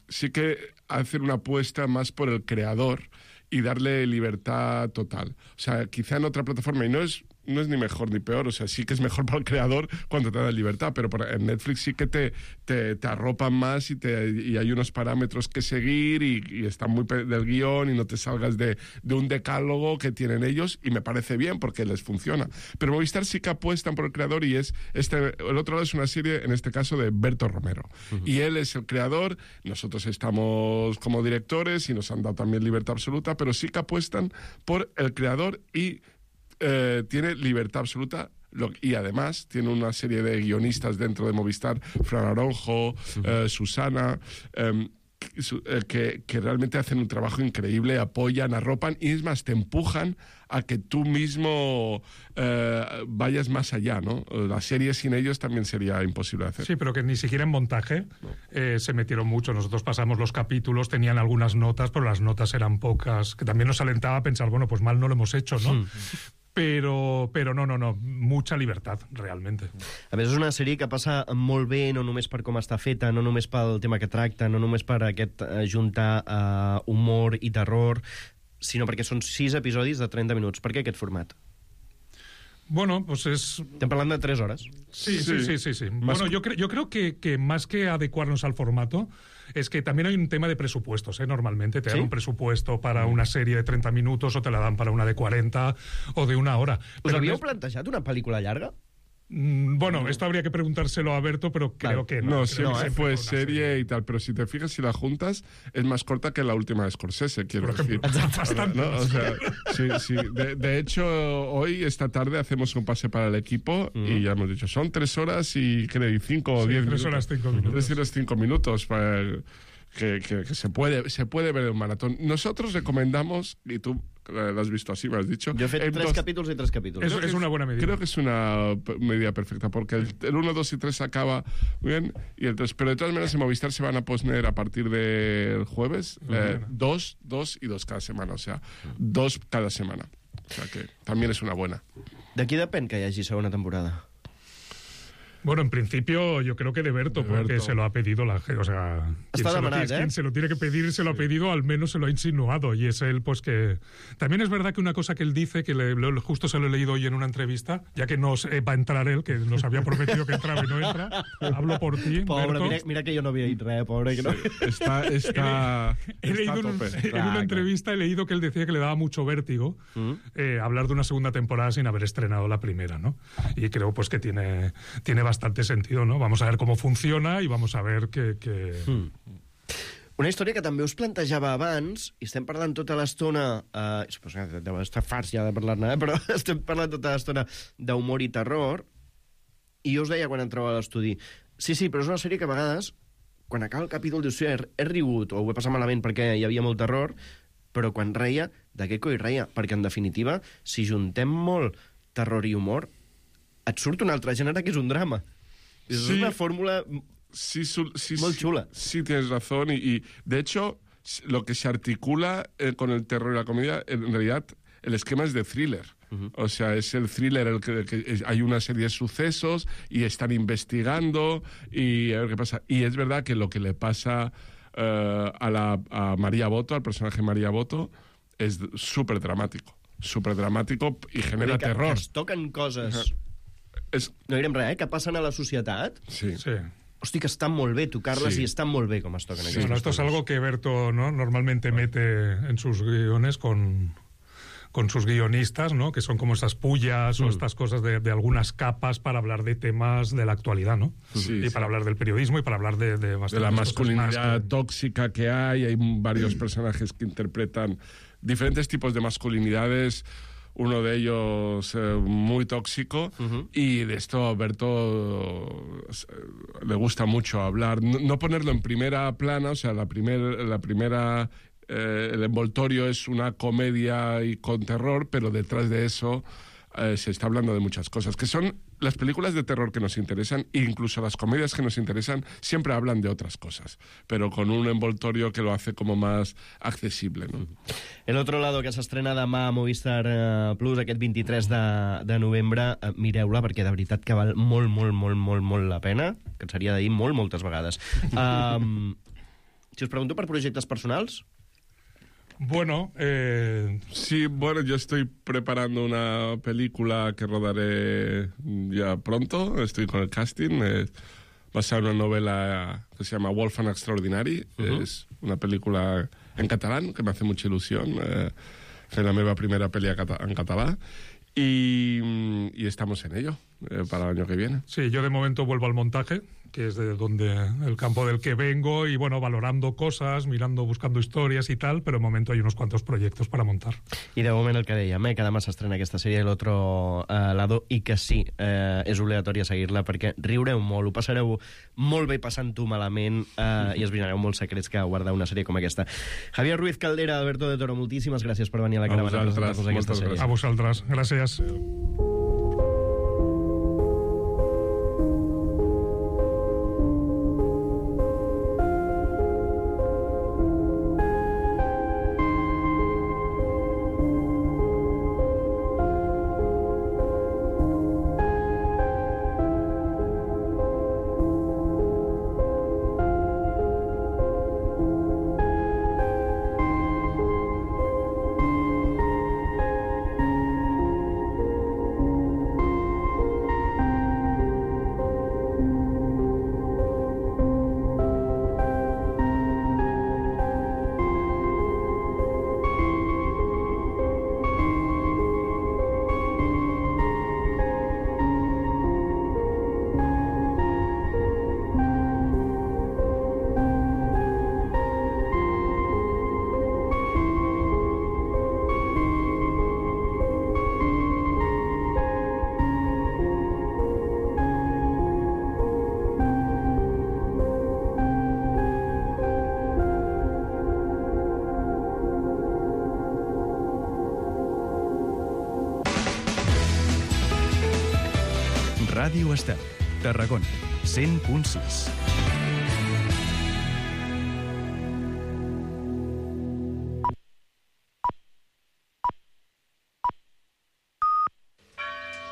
sí que hacer una apuesta más por el creador y darle libertad total. O sea, quizá en otra plataforma, y no es ni mejor ni peor, o sea, sí que es mejor para el creador cuando te da libertad, pero en Netflix sí que te arropan más y hay unos parámetros que seguir y están muy del guión y no te salgas de un decálogo que tienen ellos, y me parece bien porque les funciona. Pero Movistar sí que apuestan por el creador, y el otro lado es una serie, en este caso, de Berto Romero. Y él es el creador, nosotros estamos como directores y nos han dado también libertad absoluta, pero sí que apuestan por el creador y tiene libertad absoluta, y además tiene una serie de guionistas dentro de Movistar, Fran Aronjo, Susana, que realmente hacen un trabajo increíble, apoyan, arropan y es más, te empujan a que tú mismo vayas más allá, ¿no? La serie sin ellos también sería imposible de hacer. Sí, pero que ni siquiera en montaje se metieron mucho. Nosotros pasamos los capítulos, tenían algunas notas, pero las notas eran pocas, que también nos alentaba a pensar, bueno, pues mal no lo hemos hecho, ¿no? Però no, mucha libertad, realmente. A més, és una sèrie que passa molt bé, no només per com està feta, no només pel tema que tracta, no només per aquest juntar humor i terror, sinó perquè són 6 episodis de 30 minuts. Per què aquest format? Bueno, pues es... Estem parlant de 3 hores. Sí. Bueno, yo creo que más que adecuarnos al formato, es que también hay un tema de presupuestos, ¿eh? Normalmente te dan un presupuesto para una serie de 30 minutos o te la dan para una de 40 o de 1 hora. ¿Us havíeu plantejat una pel·lícula llarga? Bueno, esto habría que preguntárselo a Berto, pero creo que no. No, siempre fue serie y tal, pero si te fijas, si la juntas, es más corta que la última de Scorsese, quiero decir. Bastante. ¿No? O sea, sí. De hecho, hoy, esta tarde, hacemos un pase para el equipo y ya hemos dicho, son 3 horas y 5 o 10 minutos. 3 horas 5 minutos. 3 horas 5 minutos para que se puede ver en un maratón. Nosotros recomendamos, y tú lo has visto así, me has dicho. Yo he fet 3 capítulos y 3 capítulos. Es una buena medida. Creo que es una medida perfecta, porque el 1, 2 y 3 acaba muy bien, y el 3, pero de todas maneras en Movistar se van a poner a partir del jueves 2 y 2 cada semana, o sea, 2 cada semana. O sea que también es una buena. De qui depèn que hi hagi segona temporada? Bueno, en principio yo creo que de Berto, porque se lo ha pedido la gente, o sea, quien se lo tiene que pedir, se lo ha pedido, al menos se lo ha insinuado, y es él, pues que... También es verdad que una cosa que él dice, que justo se lo he leído hoy en una entrevista, ya que no va a entrar él, que nos había prometido que entraba y no entra, hablo por ti, pobre, Berto. mira que yo no había ido, pobre. Que no. He leído en una entrevista, he leído que él decía que le daba mucho vértigo hablar de una segunda temporada sin haber estrenado la primera, ¿no? Y creo pues que tiene bastante sentido, ¿no? Vamos a ver cómo funciona y vamos a ver que... Una història que també us plantejava abans, i estem parlant tota l'estona... suposo que deu estar farts ja de parlar-ne, però estem parlant tota l'estona d'humor i terror, i jo us deia quan entrava a l'estudi, sí, però és una sèrie que a vegades, quan acaba el capítol, dius, he rigut, o ho he passat malament perquè hi havia molt terror, però quan reia, de què coi reia? Perquè, en definitiva, si juntem molt terror i humor, et surt un altre gènere que és un drama. És una fórmula muy chula. Sí, tienes razón. Y de hecho, lo que se articula con el terror y la comedia, en realidad, el esquema es de thriller. O sea, es el thriller el que hay una serie de sucesos y están investigando y a ver qué pasa. Y es verdad que lo que le pasa a María Boto, al personaje María Boto, es súper dramático y genera terror. Que es toquen coses... No direm res, que passen a la societat. Sí. Hosti, que estan molt bé tocar-les i estan molt bé com es toquen. Bueno, esto es algo que Berto, ¿no?, normalmente mete en sus guiones con sus guionistas, ¿no?, que son como esas pullas o estas cosas de algunas capas para hablar de temas de la actualidad, ¿no? Y para hablar del periodismo y para hablar de la masculinidad tóxica que hay varios personajes que interpretan diferentes tipos de masculinidades. Uno de ellos muy tóxico, y de esto a Berto le gusta mucho hablar, no ponerlo en primera plana, o sea, la primera el envoltorio es una comedia y con terror, pero detrás de eso se está hablando de muchas cosas, que son las películas de terror que nos interesan, e incluso las comedias que nos interesan, siempre hablan de otras cosas, pero con un envoltorio que lo hace como más accesible, ¿no? El otro lado, que s'estrena demà a Movistar Plus, aquest 23 de novembre, mireu-la, perquè de veritat que val molt la pena, que ens seria de dir moltes vegades. Si us pregunto per projectes personals... Bueno, sí, yo estoy preparando una película que rodaré ya pronto, estoy con el casting, basada en una novela que se llama Wolfgang Extraordinari, es una película en catalán que me hace mucha ilusión, fer la meva primera pel·li en català, i y estamos en ello para el año que viene. Sí, yo de momento vuelvo al montaje, que es de donde el campo del que vengo, y bueno, valorando cosas, mirando, buscando historias y tal, però de momento hay unos cuantos proyectos para montar. I de moment el que dèiem, que demà s'estrena aquesta sèrie L'Otro Lado, i que sí, és obligatori seguir-la perquè riureu molt, ho passareu molt bé passant-ho malament i esbrinareu molts secrets que guarda una sèrie com aquesta. Javier Ruiz Caldera, Alberto de Toro, moltíssimes gràcies per venir a la caravana a presentar-nos aquesta sèrie. A vosaltres, gràcies. Ràdio Estel, Tarragona, 100.6.